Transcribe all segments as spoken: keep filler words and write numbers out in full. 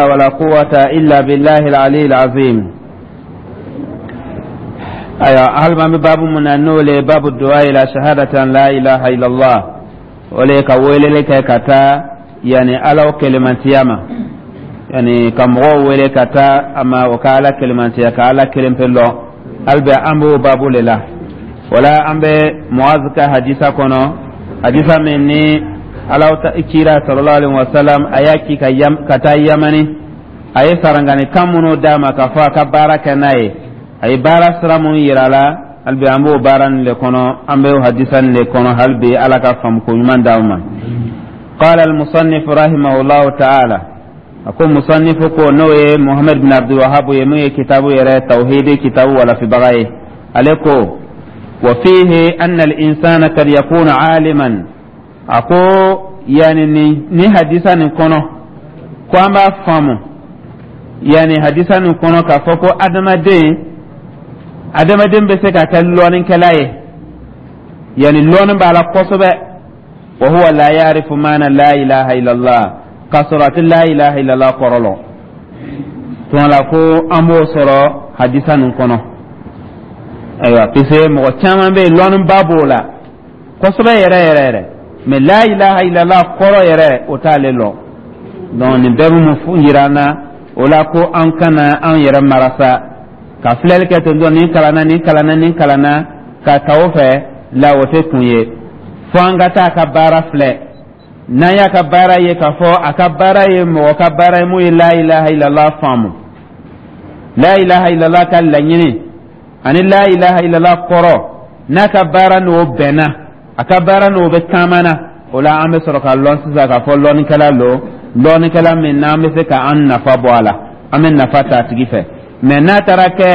ولا قوة إلا بالله العلي العظيم. أيوة، هل ما باب من النول؟ باب الدعاء إلى شهادة أن لا إله إلا الله، وليك ويلك كتا يعني ألو كلمة ياما، yani ka mɔgɔw wele ka taa a ma o ka Ala kelemantiya, ka Ala kelen pe lɔn. Hali bɛ an b'o babu le la. Wala an bɛ Muaz ka hadisa kɔnɔ, hadisa min ni Ala kira sallallahu alaihi wasallam a y'a ci ka yam, ka taa Yamani. A ye sarangani kan minnu d'a ma k'a fɔ a ka baara kɛ n'a ye, a ye baara sira minnu yira a la. Hali bi an b'o baara nin le kɔnɔ, an bɛ o hadisa nin le kɔnɔ. Hali bi Ala ka faamuko ɲuman d'an ma. قال المصنف رحمه الله تعالى، a ko musannifu ko, n'o ye Muhamad bin Abdul Wahab ye, mun ye kitabu yɛrɛ tawhidi kitabu walafibaga ye, ale ko: wa fihi anna al-insana kad yakuna aliman. A ko yani ni, ni hadisa nin kɔnɔ ko an b'a faamu, yani hadisa nin kɔnɔ k'a fɔ ko adamaden adamaden bɛ se ka kɛ lɔnnikɛla ye, yani lɔnni b'a la kosɛbɛ, wa huwa la ya'rifu maana la ilaha illallah, k'a sɔrɔ a tɛ la ilaha illallah kɔrɔ lɔn. Tuma la ko an b'o sɔrɔ hadisa nin kɔnɔ. Ayiwa, puisque mɔgɔ caman bɛ yen, lɔnniba b'o la kosɛbɛ yɛrɛ yɛrɛ yɛrɛ, mais la ilaha illallah kɔrɔ yɛrɛ, o t'ale lɔn. Donc nin bɛɛ bɛ mun yira an na o la? Ko an kana an yɛrɛ marasa ka filɛli kɛ ten tɔ, nin kalanna, nin kalanna, nin kalanna, ka ta o fɛ la, o tɛ kun ye. Fo an ka taa a ka baara filɛ. N'an y'a ka baara ye k'a fɔ a ka baara ye mɔgɔ ka baara ye mun ye la ilaha illallah faamu, la ilaha illallah ka laɲini ani la ilaha illallah kɔrɔ, n'a ka baara n'o bɛnna, a ka baara n'o bɛ taama na, o la an bɛ sɔrɔ ka lɔn sisan k'a fɔ lɔnnikɛla lo, lɔnnikɛla min n'an bɛ se ka an nafa bɔ a la, an bɛ nafa ta a tigi fɛ. Mais n'a taara kɛ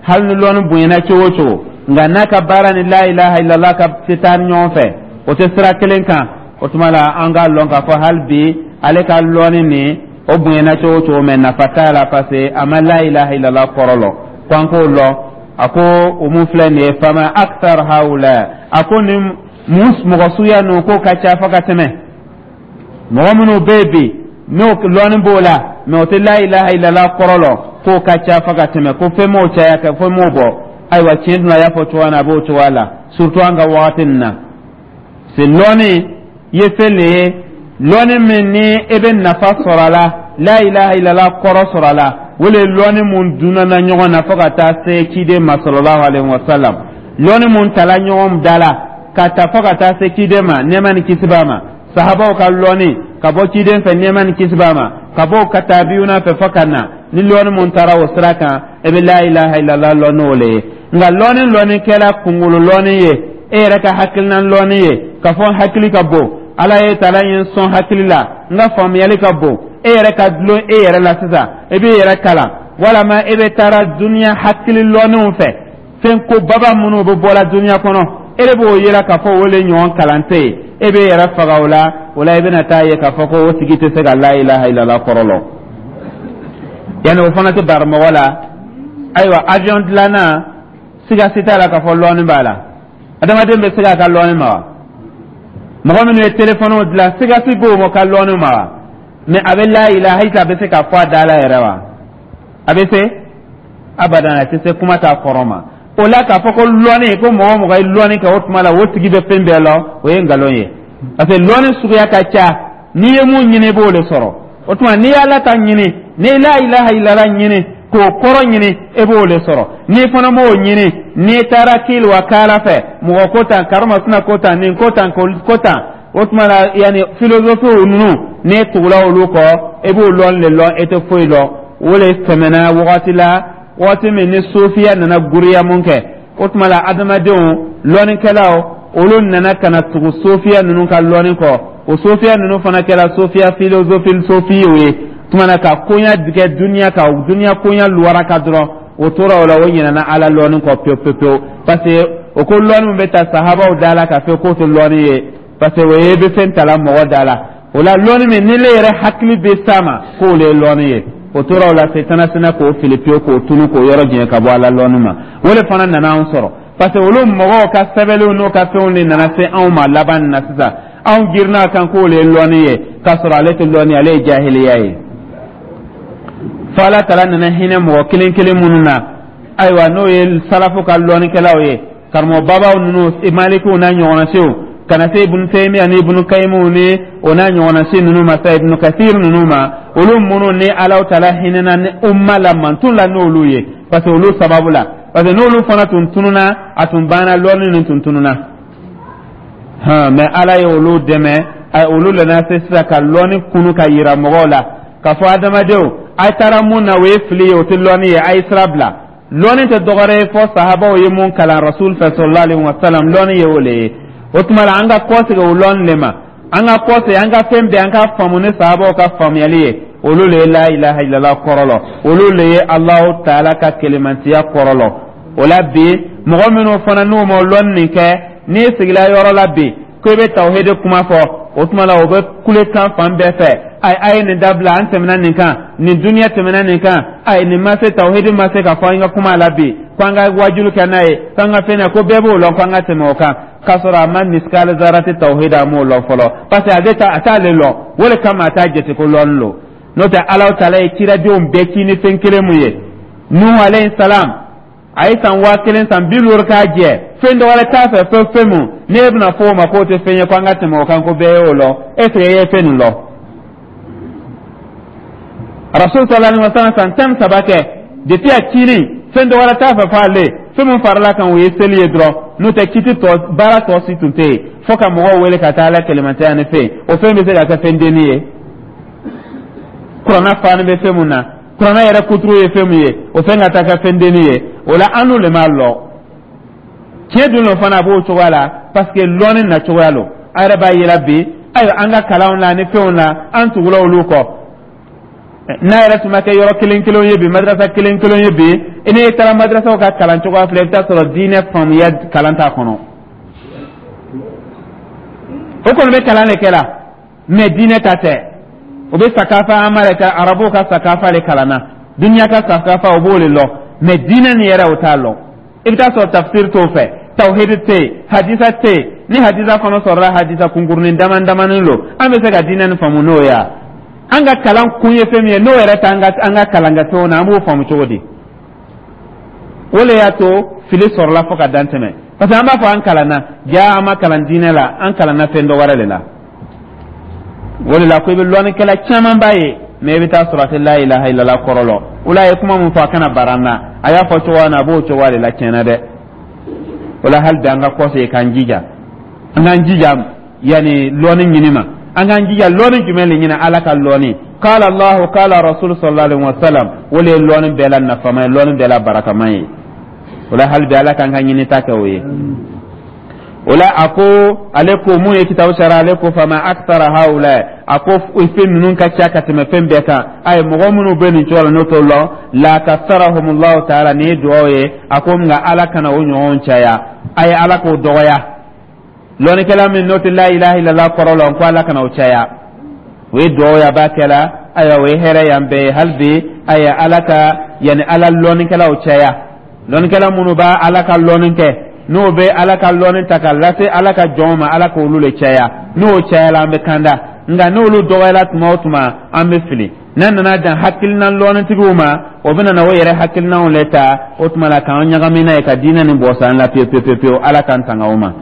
hali ni lɔnni bonyana cogo o cogo, nka n'a ka baara ni la ilaha illallah ka tɛ taa ɲɔgɔn fɛ, o tɛ sira kelen kan, o tuma la an k'a lɔn k'a fɔ hali bi ale ka lɔnni nin, o bonyana cogo o cogo, mais nafa t'a la, parce que a ma la ilaha illallah kɔrɔ lɔn. Ko an k'o lɔn. A ko o mun filɛ nin ye? Fama akthar haula. A ko nin mun mɔgɔ suguya ninnu k'o ka ca fo ka tɛmɛ. Mɔgɔ minnu bɛ yen bi, n'o lɔnni b'o la, mais o tɛ la ilaha illallah kɔrɔ lɔn, k'o ka ca fo ka tɛmɛ, ko fɛn m'o caya kɛ, fɛn m'o bɔ. Ayiwa, tiɲɛ dun, a y'a fɔ cogoya min na, a b'o cogoya la, surtout an ka wagati nin na. C'est lɔnni ye fɛn de ye, lɔnni min ni e bɛ nafa sɔrɔ a la, la ilaha illallah kɔrɔ sɔrɔ a la, o le ye lɔnni mun dunana ɲɔgɔn na fo ka taa se ciden ma sallallahu alaihi wa sallam. Lɔnni mun tala ɲɔgɔn da la ka ta fo ka taa se ciden ma, nɛɛma ni kisi b'a ma, sahabaw ka lɔnni ka bɔ ciden fɛ, nɛɛma ni kisi b'a ma, ka bɔ ka taabiyuna fɛ fo ka na ni lɔnni mun taara o sira kan, e bɛ la ilaha illallah lɔn n'o le ye. Nka lɔnni lɔnni kɛla kunkolo lɔnni ye, e yɛrɛ ka hakilina lɔnni ye, ka fɔ hakili ka bon, Ala ye tala ye n sɔn hakili la, n ka faamuyali ka bon, e yɛrɛ ka dulon e yɛrɛ la sisan, e b'i yɛrɛ kalan, walama e bɛ taara duniya hakili lɔnniw fɛ, fɛn ko baba minnu bɛ bɔla duniya kɔnɔ, e de b'o yira k'a fɔ o le ɲɔgɔn kalan tɛ yen, e b'e yɛrɛ faga o la. O la i bɛna taa ye k'a fɔ ko o tigi tɛ se ka la ilaha illallah kɔrɔ lɔn. Yanni o fana tɛ bari mɔgɔ la. Ayiwa, avion dilanna, siga si t'a la k'a fɔ lɔnni b'a la. Adamaden bɛ se k'a ka lɔnni ma wa? Mɔgɔ minnu ye telefɔniw dilan, siga si b'o ma ka lɔnni ma wa? Mais a bɛ la ilaha illa, a bɛ se k'a fɔ a da la yɛrɛ wa? A bɛ se abadan, a tɛ se, kuma t'a kɔrɔ ma. O la k'a fɔ ko lɔnni, ko mɔgɔ o mɔgɔ ye lɔnni kɛ, o tuma la o tigi bɛ fɛn bɛɛ lɔn, o ye nkalon ye, parce que lɔnni suguya ka ca. N'i ye mun ɲini, i b'o de sɔrɔ. O tuma n'i y'Ala ta ɲini, n'i la ilaha illallah ɲini k'o kɔrɔ ɲini, e b'o de sɔrɔ. N'i fana m'o ɲini, n'i taara kili wa kaala fɛ, mɔgɔ ko tan, karimasina ko tan, nin ko tan, ko tan, o tuma la yanni philosophe ninnu, n'e tugula olu kɔ, e b'o lɔn de lɔn, e tɛ foyi lɔn. O de tɛmɛna wagati la, wagati min ni sofiya nana guriya mun kɛ, o tuma la adamadenw lɔnnikɛlaw, olu nana ka na tugu sofiya ninnu ka lɔnni kɔ. O sofiya ninnu fana kɛra sofiya philosophie sofiyew ye. Tuma na ka koɲa kɛ duniya ka duniya koɲa luwara ka dɔrɔn, o tora o la, o ɲinɛna Ala lɔnni kɔ pewu pewu pewu, parce que o ko lɔnni min bɛ ta sahabaw da la ka fɛ k'o tɛ lɔnni ye, parce que o ye bɛ fɛn tala mɔgɔ da la. O la lɔnni min ni ne yɛrɛ hakili bɛ s'a ma k'o le ye lɔnni ye, o tora o la, setana sina k'o fili pewu, k'o tunu, k'o yɔrɔ jɛn ka bɔ Ala lɔnni ma. O de fana nana anw sɔrɔ, parce que olu mɔgɔw ka sɛbɛnniw n'u ka fɛnw de nana se anw ma laban na sisan. Anw girinna kan k'o le ye lɔnni ye, k'a sɔrɔ ale tɛ lɔnni, ale ye jahiliya ye. Fo Ala tala nana hinɛ mɔgɔ kelen kelen minnu na, ayiwa, n'o ye salafu ka lɔnnikɛlaw ye, karamɔgɔ babaw ninnu, Malikiw n'a ɲɔgɔnna siw, ka na se Ibunu Taymiya ni Ibunu Kayimuw ni o n'a ɲɔgɔnna si ninnu ma sa, Ibunu Kasir ninnu ma, olu minnu ni Ala tala hinɛna ni umma la mantun la n'olu ye, parce que olu sababu la, parce que n'olu fana tun tununa, a tun banna, lɔnni nin tun tununa hɔn. Mais Ala ye olu dɛmɛ, olu nana se sisan ka lɔnni kunu ka yira mɔgɔw la k'a fɔ adamadenw, a taara mun na, o ye fili ye, o tɛ lɔnni ye, a ye sira bila. Lɔnni tɛ dɔwɛrɛ ye fɔ sahabaw ye mun kalan Rasul fɛ sallallahu alaihi wa sallam, lɔnni ye o le ye. O tuma la, an ka kɔsegin o lɔnni le ma, an ka kɔsegin, an ka fɛn bɛɛ, an ka faamu ni sahabaw ka faamuyali ye. Olu le ye la ilaha illallah kɔrɔ lɔ, olu le ye Alahu taala ka kelemantiya kɔrɔ lɔ. O la bi, mɔgɔ minnu fana n'u ma lɔnni nin kɛ, n'i sigila yɔrɔ la bi ko i bɛ tawhidi kuma fɔ, o tuma la o bɛ kulekan fan bɛɛ fɛ: ayi, a ye nin dabila, an tɛmɛna nin kan, nin duniya tɛmɛna nin kan, ayi, nin ma se, tawhidi ma se ka fɔ an ka kuma la bi, ko an ka wajulu kɛ n'a ye, ko an ka fɛn na, ko bɛɛ b'o lɔn, ko an ka tɛmɛ o kan, k'a sɔrɔ a ma misikali zarati tawhidi, a m'o lɔn fɔlɔ, parce que a tɛ a t'ale lɔn, o de kama a t'a jate ko lɔnni lo. N'o tɛ, Alahu taala ye ciradenw bɛɛ ci ni fɛn kelen mun ye? Nuhu alayhi salam, a ye san waa kelen san bi duuru k'a jɛ, fɛn dɔ wɛrɛ t'a fɛ fɛn fɛn mun n'e bɛna fɔ o ma k'o tɛ fɛn ye, ko an ka tɛmɛ o kan, ko bɛɛ y'o lɔn. Est ce que e ye fɛn nin lɔn? Rasul sallallahu alaihi wasallam, san tan saba kɛ depuis a cili, fɛn dɔ wɛrɛ t'a fɛ fɔ ale, fɛn min farala kan, o ye seli ye dɔrɔn. N'o tɛ, kiti tɔ, baara tɔ si tun tɛ yen fo ka mɔgɔw wele ka taa Ala kɛlɛmantɛya ni fɛn o fɛn bɛ se ka kɛ fɛn denni ye. Kuranna fani bɛ fɛn mun na, kuranna yɛrɛ kuturu ye fɛn mun ye, o fɛn ka taa kɛ fɛn denni ye? O la, an n'u le m'a lɔ tiɲɛ dun lo fana, a b'o cogoya la, parce que lɔnni na cogoya lo. A yɛrɛ b'a yira bi, ayiwa, an ka kalanw la ni fɛnw na, an tugula olu kɔ. N'a yɛrɛ tun ma kɛ yɔrɔ kelen kelen ye bi, madrasa kelen kelen ye bi, i n'i taara madrasaw ka kalan cogoya filɛ, i bɛ taa sɔrɔ diinɛ faamuya kalan t'a kɔnɔ. O kɔni bɛ kalan de kɛ la, mais diinɛ ta tɛ. O bɛ sakafa an yɛrɛ ka arabuw ka sakafa de kalan na, duniya ka sakafa, o b'o de lɔn, mais diinɛ nin yɛrɛ, o t'a lɔn. I bɛ taa sɔrɔ tafsir t'o fɛ, tawhid tɛ yen, hadisa tɛ yen. Ni hadisa kɔnɔ sɔrɔla, hadisa kunkurunin dama damanin lo. An bɛ se ka diinɛ nin faamu n'o ye wa? An ka kalan kun ye fɛn min ye, n'o yɛrɛ t'an ka an ka kalankɛfɛnw na, an b'o faamu cogo di? O le y'a to fili sɔrɔla fo ka dan tɛmɛ, parce que an b'a fɔ an kalanna, ja an ma kalan diinɛ la, an kalanna fɛn dɔ wɛrɛ de la. O de la ko i bɛ lɔnnikɛla caman b'a ye, mais i bɛ taa sɔrɔ a tɛ la ilaha illallah kɔrɔ lɔ. O la, a ye kuma min fɔ, a kana bara an na. A y'a fɔ cogoya min na, a b'o cogoya de la tiɲɛna dɛ. O la, hali bi an ka kɔsegin k'an jija, an k'an jija yanni lɔnni ɲini ma. An k'an jija lɔnni jumɛn de ɲini? Ala ka lɔnni, qala Allahu qala Rasul sallallahu alaihi wa sallam, o de ye lɔnni bɛɛ la nafama ye, lɔnni bɛɛ la barakama ye. O la, hali bi Ala k'an ka ɲini ta kɛ o ye. O la, a ko ale ko mun ye kitabu sara, ale ko fama akthara haula, a ko fɛn ninnu ka ca ka tɛmɛ fɛn bɛɛ kan. A ye mɔgɔ minnu bɛ nin cogo la, n'o t'o lɔn, la kasarahumullahu taala, nin ye dugawu ye. A ko nka Ala kana o ɲɔgɔn caya, a ye Ala k'o dɔgɔya. Lɔnnikɛla min n'o tɛ la ilaha illallah kɔrɔ lɔn, ko Ala kana o caya, o ye dugawu ye a b'a kɛ la. Ayiwa, o ye hɛrɛ y'an bɛɛ ye. Hali bi, ayiwa, Ala ka yanni Ala lɔnnikɛlaw caya, lɔnnikɛla minnu b'a Ala ka lɔnni kɛ, n'o bɛ Ala ka lɔnni ta ka lase Ala ka jɔnw ma, Ala k'olu le caya. N'o cayala, an bɛ kanda, nka n'olu dɔgɔyala tuma o tuma, an bɛ fili. N'a nana dan hakilina lɔnnitigiw ma, o bɛ na o yɛrɛ hakilinaw le ta, o tuma la k'an ɲagami n'a ye ka diinɛ nin bɔ san la pewu pewu pewu pewu. Ala k'an tanga o ma.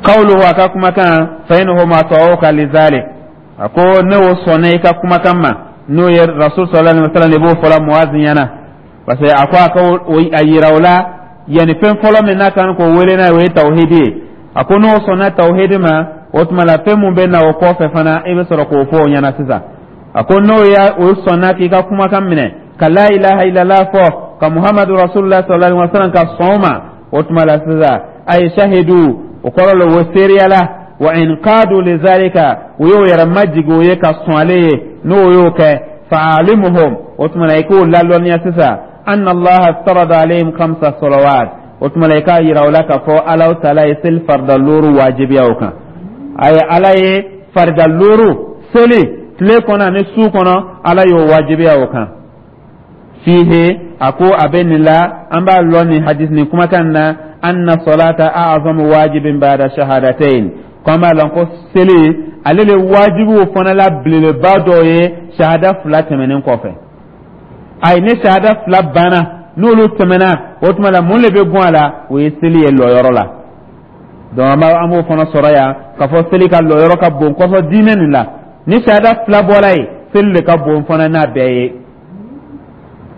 Qawluhu, a ka kumakan, fa inhum ata'uka lidhalik, a ko ne o sɔnna i ka kumakan ma, n'o ye Rasul sallallahu alaihi wasallam de b'o fɔla Muazi ɲɛna, parce que a ko a ka a yira o la yanni fɛn fɔlɔ min n'a kan k'o wele n'a ye, o ye tawhidi ye. A ko n'o sɔnna tawhidi ma, o tuma la fɛn mun bɛ na o kɔfɛ fana, i bɛ sɔrɔ k'o fɔ o ɲɛna sisan. A ko n'o y'a o sɔnna k'i ka kumakan minɛ, ka la ilaha illallah fɔ, ka Muhammadu rasulullah sallallahu alaihi wasallam ka sɔn o ma, o tuma la sisan a ye shahidu, o kɔrɔ la o seereyala, wa in qadu lizalika, u y'o yɛrɛ majigi o ye ka sɔn ale ye, n'o y'o kɛ, fa'alimuhum, o tuma la i k'o lalɔnniya sisan, anna Allaha iftarada alayhim khamsa salawat, o tuma la i k'a yira o la k'a fɔ Alahu taala ye seli farida looru wajibiya o kan. A ye Ala ye farida looru seli tile kɔnɔ ani su kɔnɔ, Ala y'o wajibiya o kan. Fihe, a ko a bɛ nin la, an b'a lɔn nin hadis nin kumakan na, anna salata a'zamu wajibin ba'da shahadatain, Ko an b'a lɔn ko seli, ale le wajibiw fana la belebeleba dɔ ye shahada fila tɛmɛnen kɔfɛ. Ayi, ni shahada fila banna, n'olu tɛmɛna, o tuma la mun de bɛ bɔ a la? O ye seli ye lɔyɔrɔ la. Donc an b'a an b'o fana sɔrɔ yan k'a fɔ seli ka lɔyɔrɔ ka bon kosɛbɛ diinɛ nin la. Ni shahada fila bɔra yen, seli de ka bon fana n'a bɛɛ ye,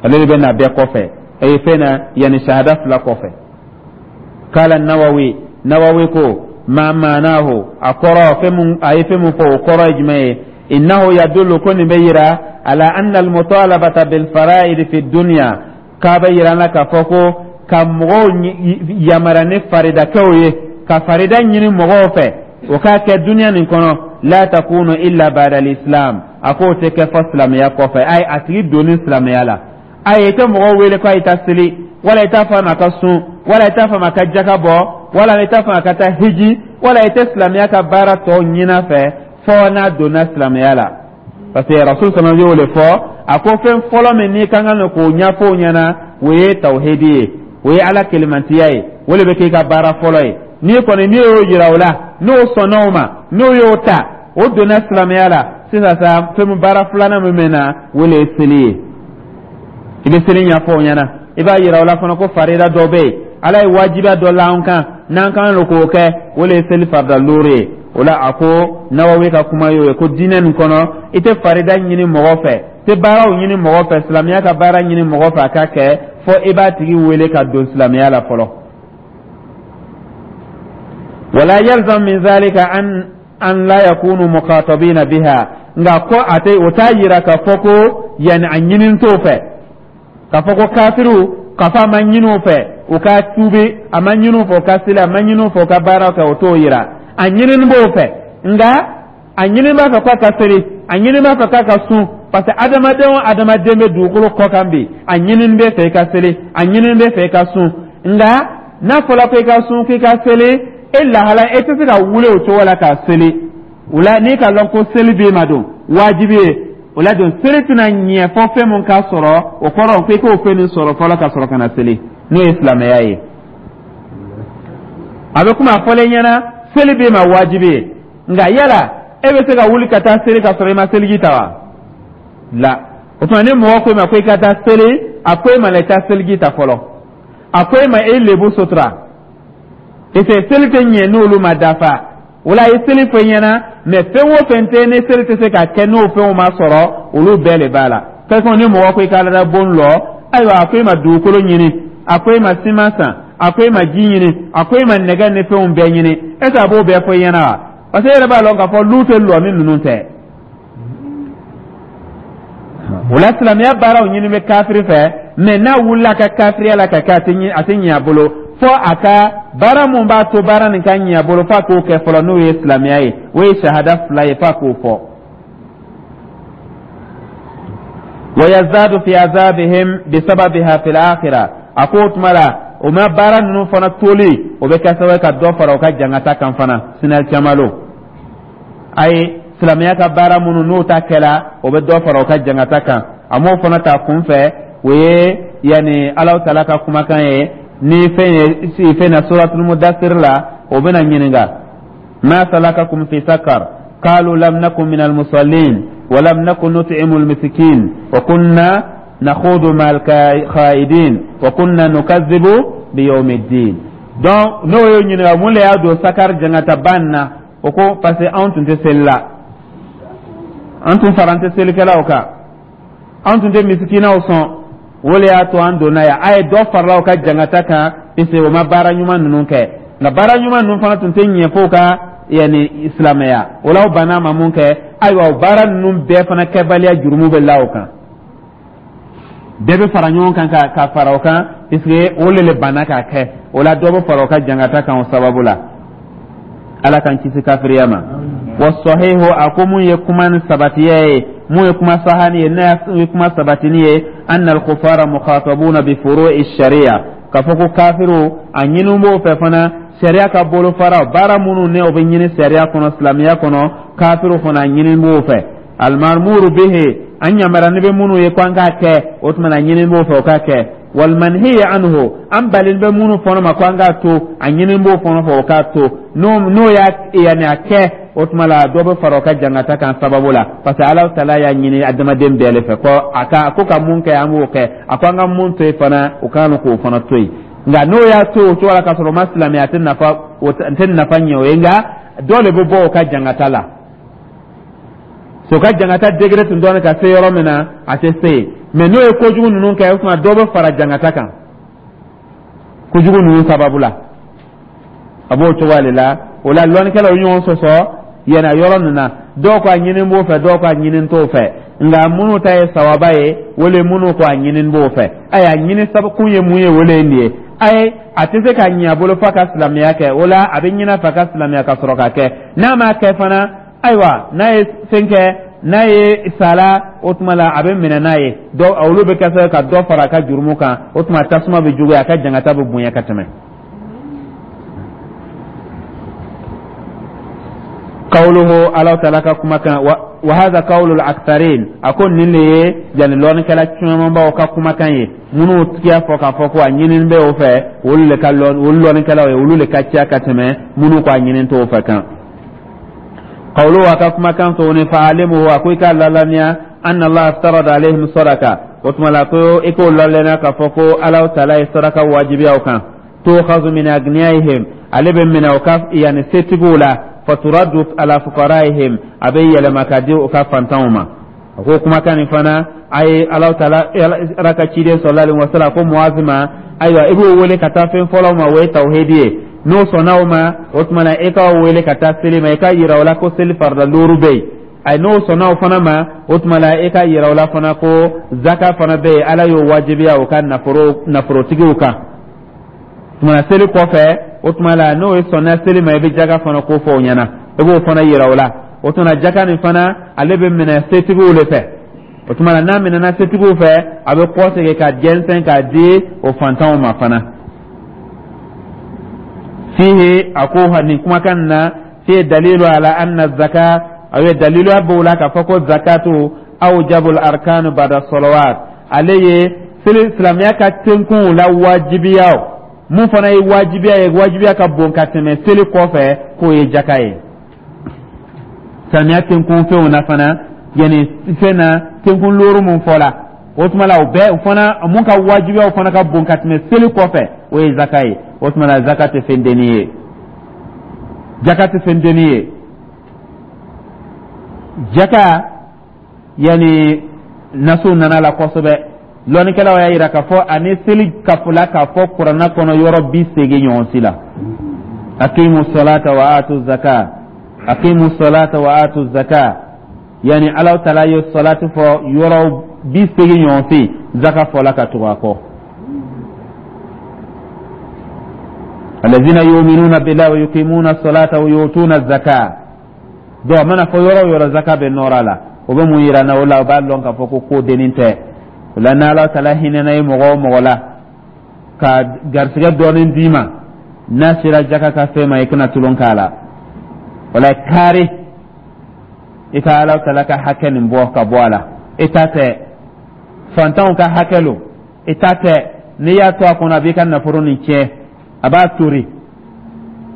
ale de bɛ na bɛɛ kɔfɛ, e fɛn na yanni shahada fila kɔfɛ. Kala Nawawi, Nawawi ko ma maanahu, a kɔrɔ fɛn mun, a ye fɛn mun fɔ, o kɔrɔ ye jumɛn ye? Innahu yadullu, ko nin bɛ yira, ala anna almutalabata bilfaraidi fi dunya, k'a bɛ yira an na k'a fɔ ko ka mɔgɔw yamara ni faridakɛw ye, ka farida ɲini mɔgɔw fɛ o k'a kɛ duniya nin kɔnɔ, la takunu illa ba'da al-islam, a k'o tɛ kɛ fɔ silamɛya kɔfɛ. Ayi, a tigi donni silamɛya la, ayi, i tɛ mɔgɔw wele k'a ye taa seli, wala i t'a fɔ a ma ka sun, wala i t'a fɔ a ma ka jaka bɔ, wala i t'a fɔ a ka taa hiji, wala i tɛ silamɛya ka baara tɔw ɲini fɛ fɔ n'a donna silamɛya la. Parce que Rasul sallallahu y'o de fɔ, a ko fɛn fɔlɔ min n'i ka kan k'o ɲɛfɔ o ɲɛna, o ye tawhidi ye, o ye Ala kelemantiya ye. O de bɛ k'i ka baara fɔlɔ ye. N'i kɔni n'i y'o yira o la, n'o sɔnna o ma, n'o y'o ta, o donna silamɛya la, sisan sa, fɛn min baara filanan min bɛ na, o de ye seli ye. I bɛ seli ɲɛfɔ o ɲɛna, i b'a yira o la fana ko farida dɔ bɛ yen, Ala ye wajibiya dɔ la an kan n'an kan lo k'o kɛ, o de ye seli farida loori ye. O la, a ko Nawawi ka kuma y'o ye ko diinɛ nin kɔnɔ, i tɛ farida ɲini mɔgɔ fɛ, tɛ baaraw ɲini mɔgɔ fɛ, silamɛya ka baara ɲini mɔgɔ fɛ a ka kɛ, fɔ i b'a tigi wele ka don silamɛya la fɔlɔ. Wala yalzam min zalika an an la yakunu muqatabina biha, nka ko a tɛ, o t'a yira k'a fɔ ko yanni a ɲini t'o fɛ k'a fɔ ko kafiriw, k'a fɔ a ma ɲini u fɛ u ka tuubi, a ma ɲini u fɛ u ka seli, a ma ɲini u fɛ u ka baara kɛ, o t'o yira. A ɲinini b'o fɛ, nka a ɲini b'a fɛ k'a ka seli, a ɲini b'a fɛ k'a ka sun, parce que adamaden o adamaden bɛ dugukolo kɔ kan bi, a ɲinini bɛ fɛ i ka seli, a ɲinini bɛ fɛ i ka sun. Nka n'a fɔra ko i ka sun, k'i ka seli, e lahala e tɛ se ka wuli o cogo la k'a seli. O la, n'i ka lɔn ko seli b'e ma don wajibi ye, o la don seli tɛna ɲɛ fɔ fɛn mun k'a sɔrɔ, o kɔrɔ ko i k'o fɛn nin sɔrɔ fɔlɔ ka sɔrɔ ka na seli, n'o ye silamɛya ye. A bɛ komi a fɔlen ɲɛna seli b'e ma wajibi ye, nka yala e bɛ se ka wuli ka taa seli ka sɔrɔ i ma seliji ta wa? La, o tuma ni mɔgɔ ko i ma ko i ka taa seli, a ko e ma la i taa seliji ta fɔlɔ, a ko e ma e lebu sutura, parce que seli tɛ ɲɛ n'olu ma dafa. O la, a ye seli fɔ i ɲɛna, mɛ fɛn o fɛn tɛ ni seli tɛ se ka kɛ n'o fɛnw ma sɔrɔ, olu bɛɛ de b'a la. Kɛsɔn ni mɔgɔ ko i ka alada bon lɔ, ayiwa, a ko e ma dugukolo ɲini, a ko e ma siman san, a ko e ma ji ɲini, a ko e ma nɛgɛ ni fɛnw bɛɛ ɲini, est ce que a b'o bɛɛ fɔ i ɲɛna wa? Parce que e yɛrɛ b'a lɔn k'a fɔ lu tɛ lɔ ni ninnu tɛ. O la, silamɛya baaraw ɲini bɛ kafiri fɛ, mɛ n'a wulila ka kafiriya la ka kɛ, a tɛ a tɛ ɲɛ a bolo fɔ a ka baara mun b'a to baara nin ka ɲɛ a bolo, f'a k'o kɛ fɔlɔ, n'o ye silamɛya ye, o ye sahada fila ye, f'a k'o fɔ. Wa yazadu fi azabihim bisababiha fil akhirah, a ko o tuma la o ma baara ninnu fana toli, o bɛ kɛ sababu ye ka dɔ fara o ka jangata kan fana sinali caman lo. Ayi, silamɛya ka baara minnu n'o ta kɛla, o bɛ dɔ fara o ka jangata kan. A m'o fana ta kun fɛ, o ye yanni Alahu taala ka kumakan ye ni fɛn ye fɛn na suratul mudassir la, o bɛna ɲininka: ma salakakum fi sakar? Qalu lam nakun min almusallin wa lam nakun nut'imu almiskin wa kunna nakhudu ma alkhaidin wa kunna nukazzibu biyawmiddin. Donc n'o y'o ɲininka mun de y'a don sakar jangataba nin na, o ko parce que anw tun tɛ seli la, an tun fara an tɛ selikɛlaw kan, an tun tɛ misikinaw sɔn, o de y'a to an donna yan. A ye dɔ farala o ka jangata kan, puisque o ma baara ɲuman ninnu kɛ. Nka baara ɲuman ninnu fana tun tɛ ɲɛ f'o ka yanni silamɛya. O la, o banna ma mun kɛ? Ayiwa, o baara ninnu bɛɛ fana kɛbaliya jurumu bɛ la o kan, bɛɛ bɛ fara ɲɔgɔn kan ka ka fara o kan, puisque o le le banna k'a kɛ. O la, dɔ bɛ fara o ka jangata kan o sababu la. Ala k'an kisi kafiriya ma. Wasahihu, a ko mun ye kuma ni sabatiya ye, mun ye kuma sahani ye, n'a ye kuma sabatini ye, anna al-kufara mukhatabuna bi furu'i sharia, k'a fɔ ko kafiru, a ɲini b'o fɛ fana sariya ka bolofara baara minnu ne o bɛ ɲini sariya kɔnɔ, silamɛya kɔnɔ, kafiru fana a ɲini b'o fɛ. Almarmuru bihi, an yamara ni bɛ minnu ye ko an k'a kɛ, o tuma na ɲini b'o fɛ o k'a kɛ. Wal manhiya anhu, an balen bɛ minnu fana ma ko an k'a to, a ɲini b'o fana fɛ o k'a to. n'o n'o y'a yanni a kɛ, o tuma la dɔ bɛ fara o ka jangata kan sababu la, parce que Ala taala y'a ɲini adamaden bɛɛ le fɛ ko a ka ko ka mun kɛ, an b'o kɛ. A ko an ka mun to yen fana, o kan k'o fana to yen. Nka n'o y'a to o cogo la k'a sɔrɔ o ma silamɛ, a tɛ nafa, o tɛ nafa ɲɛ o ye. Nka dɔ de bɛ bɔ o ka jangata la. So ka jangata degré tun dɔɔni ka se yɔrɔ min na, a tɛ se yen. Mɛ n'o ye kojugu ninnu kɛ, o tuma dɔ bɛ fara jangata kan kojugu ninnu sababu la. A b'o cogoya de la. O la, lɔnnikɛlaw ye ɲɔgɔn sɔsɔ yɛlɛ yɔrɔ ninnu na. Dɔw ko a ɲini b'o fɛ, dɔw ko a ɲini t'o fɛ. Nka minnu ta ye sawaba ye, o le minnu ko a ɲini b'o fɛ. Ayiwa, ɲini sabu ye mun ye? O le ye nin ye. Ayi, a tɛ se ka ɲɛ a bolo f'a ka silamɛya kɛ. O la, a bɛ ɲini a fɛ a ka silamɛya ka sɔrɔ ka kɛ. N'a m'a kɛ fana, ayiwa, n'a ye fɛn kɛ, n'a ye sala, o tuma la a bɛ minɛ n'a ye. Dɔ olu bɛ kɛ sababu ka dɔ fara a ka jurumu kan. O tuma tasuma bɛ juguya, a ka jangata bɛ bonya ka tɛmɛ. Qawluhu, Ala taala ka kumakan, wa hadha qawlu al-aktharin, a ko nin de ye yani lɔnnikɛla camanbaw ka kumakan ye. Minnu tigiya fɔ k'a fɔ ko a ɲinini bɛ o fɛ, olu le ka lɔn, olu lɔnnikɛlaw ye, olu le ka ca ka tɛmɛ minnu ko a ɲini t'o fɛ kan. Qawluhu, a ka kumakan tuguni, fa'alimuhu, a ko i k'a lalaniya, anna Allah aftarada alayhim sadaka. O tuma la ko i k'o lalaniya k'a fɔ ko Ala taala ye saraka wajibiya o kan. Tu'khadhu min agniyaihim, ale bɛ minɛ o ka yani setigiw la, faturaddu ala fuqaraihim, a bɛ yɛlɛma ka di u ka fantanw ma. A ko kumakan nin fana, a ye Ala taala, Ala ka ciden sallallahu alaihi wasallam ko Muazi ma, ayiwa, i b'o wele ka taa fɛn fɔlɔ ma, o ye tawhidi ye. N'o sɔnna o ma, o tuma na e k'o wele ka taa seli ma, i ka yira o la ko seli farida duuru bɛ yen. Ayi, n'o sɔnna o fana ma, o tuma la e ka yira o la fana ko zaka fana bɛ yen, Ala y'o wajibiya o ka nafolo nafolotigiw kan. Tuma na seli kɔfɛ, o tuma la n'o ye sɔnna seli ma, i bɛ jaka fana ko fɔ o ɲɛna, i b'o fana yira o la. O tuma na jaka nin fana, ale bɛ minɛ setigiw de fɛ. O tuma na n'a minɛna setigiw fɛ, a bɛ kɔsegin ka jɛnsɛn k'a di o fantanw ma fana. Fihi, a ko nin kumakan na, fihi dalilu ala anna zaka, a ye dalilu b'o la k'a fɔ ko zakatu awjabul arkanu bada salawat, ale ye seli silamɛya ka tenkunw la wajibiya. Mun fana ye wajibiya ye, wajibiya ka bon ka tɛmɛ seli kɔfɛ, k'o ye jaka ye. Silamɛya tenkun fɛnw na fana, yanni fɛn na tenkun looru mun fɔla, o tuma la o bɛɛ o fana mun ka wajibiyaw fana ka bon ka tɛmɛ seli kɔfɛ, o ye zaka ye. O tuma la zaka tɛ fɛn denni ye, jaka tɛ fɛn denni ye. Jaka yanni nasow nana la kosɛbɛ. Lɔnnikɛlaw y'a yira k'a fɔ ani seli kafola k'a fɔ kuranna kɔnɔ yɔrɔ bi seegin ɲɔgɔn si la. Aqimu salata wa atu zaka, aqimu salata wa atu zaka, yani Ala taala ye salatu fɔ yɔrɔ bi seegin ɲɔgɔn si, zaka fɔla ka tugu a kɔ. Alladhina yu'minuna billahi wa yuqimuna salata wa yu'tuna zaka. Donc a mana fɔ yɔrɔ o yɔrɔ, zaka bɛ nɔrɔ a la. O bɛ mun yira n na? O la o b'a dɔn k'a fɔ ko ko dennin tɛ. O la, n'Ala taala hinɛna ye mɔgɔ o mɔgɔ la ka garisigɛ dɔɔnin d'i ma, n'a sera jaka ka fɛn ma, i kana tulon k'a la. O la kaari i ka Ala taala ka hakɛ nin bɔ ka bɔ a la. I ta tɛ, fantanw ka hakɛ lo, i ta tɛ. N'i y'a to a kɔnɔ, a b'i ka nafolo nin tiɲɛ, a b'a tori,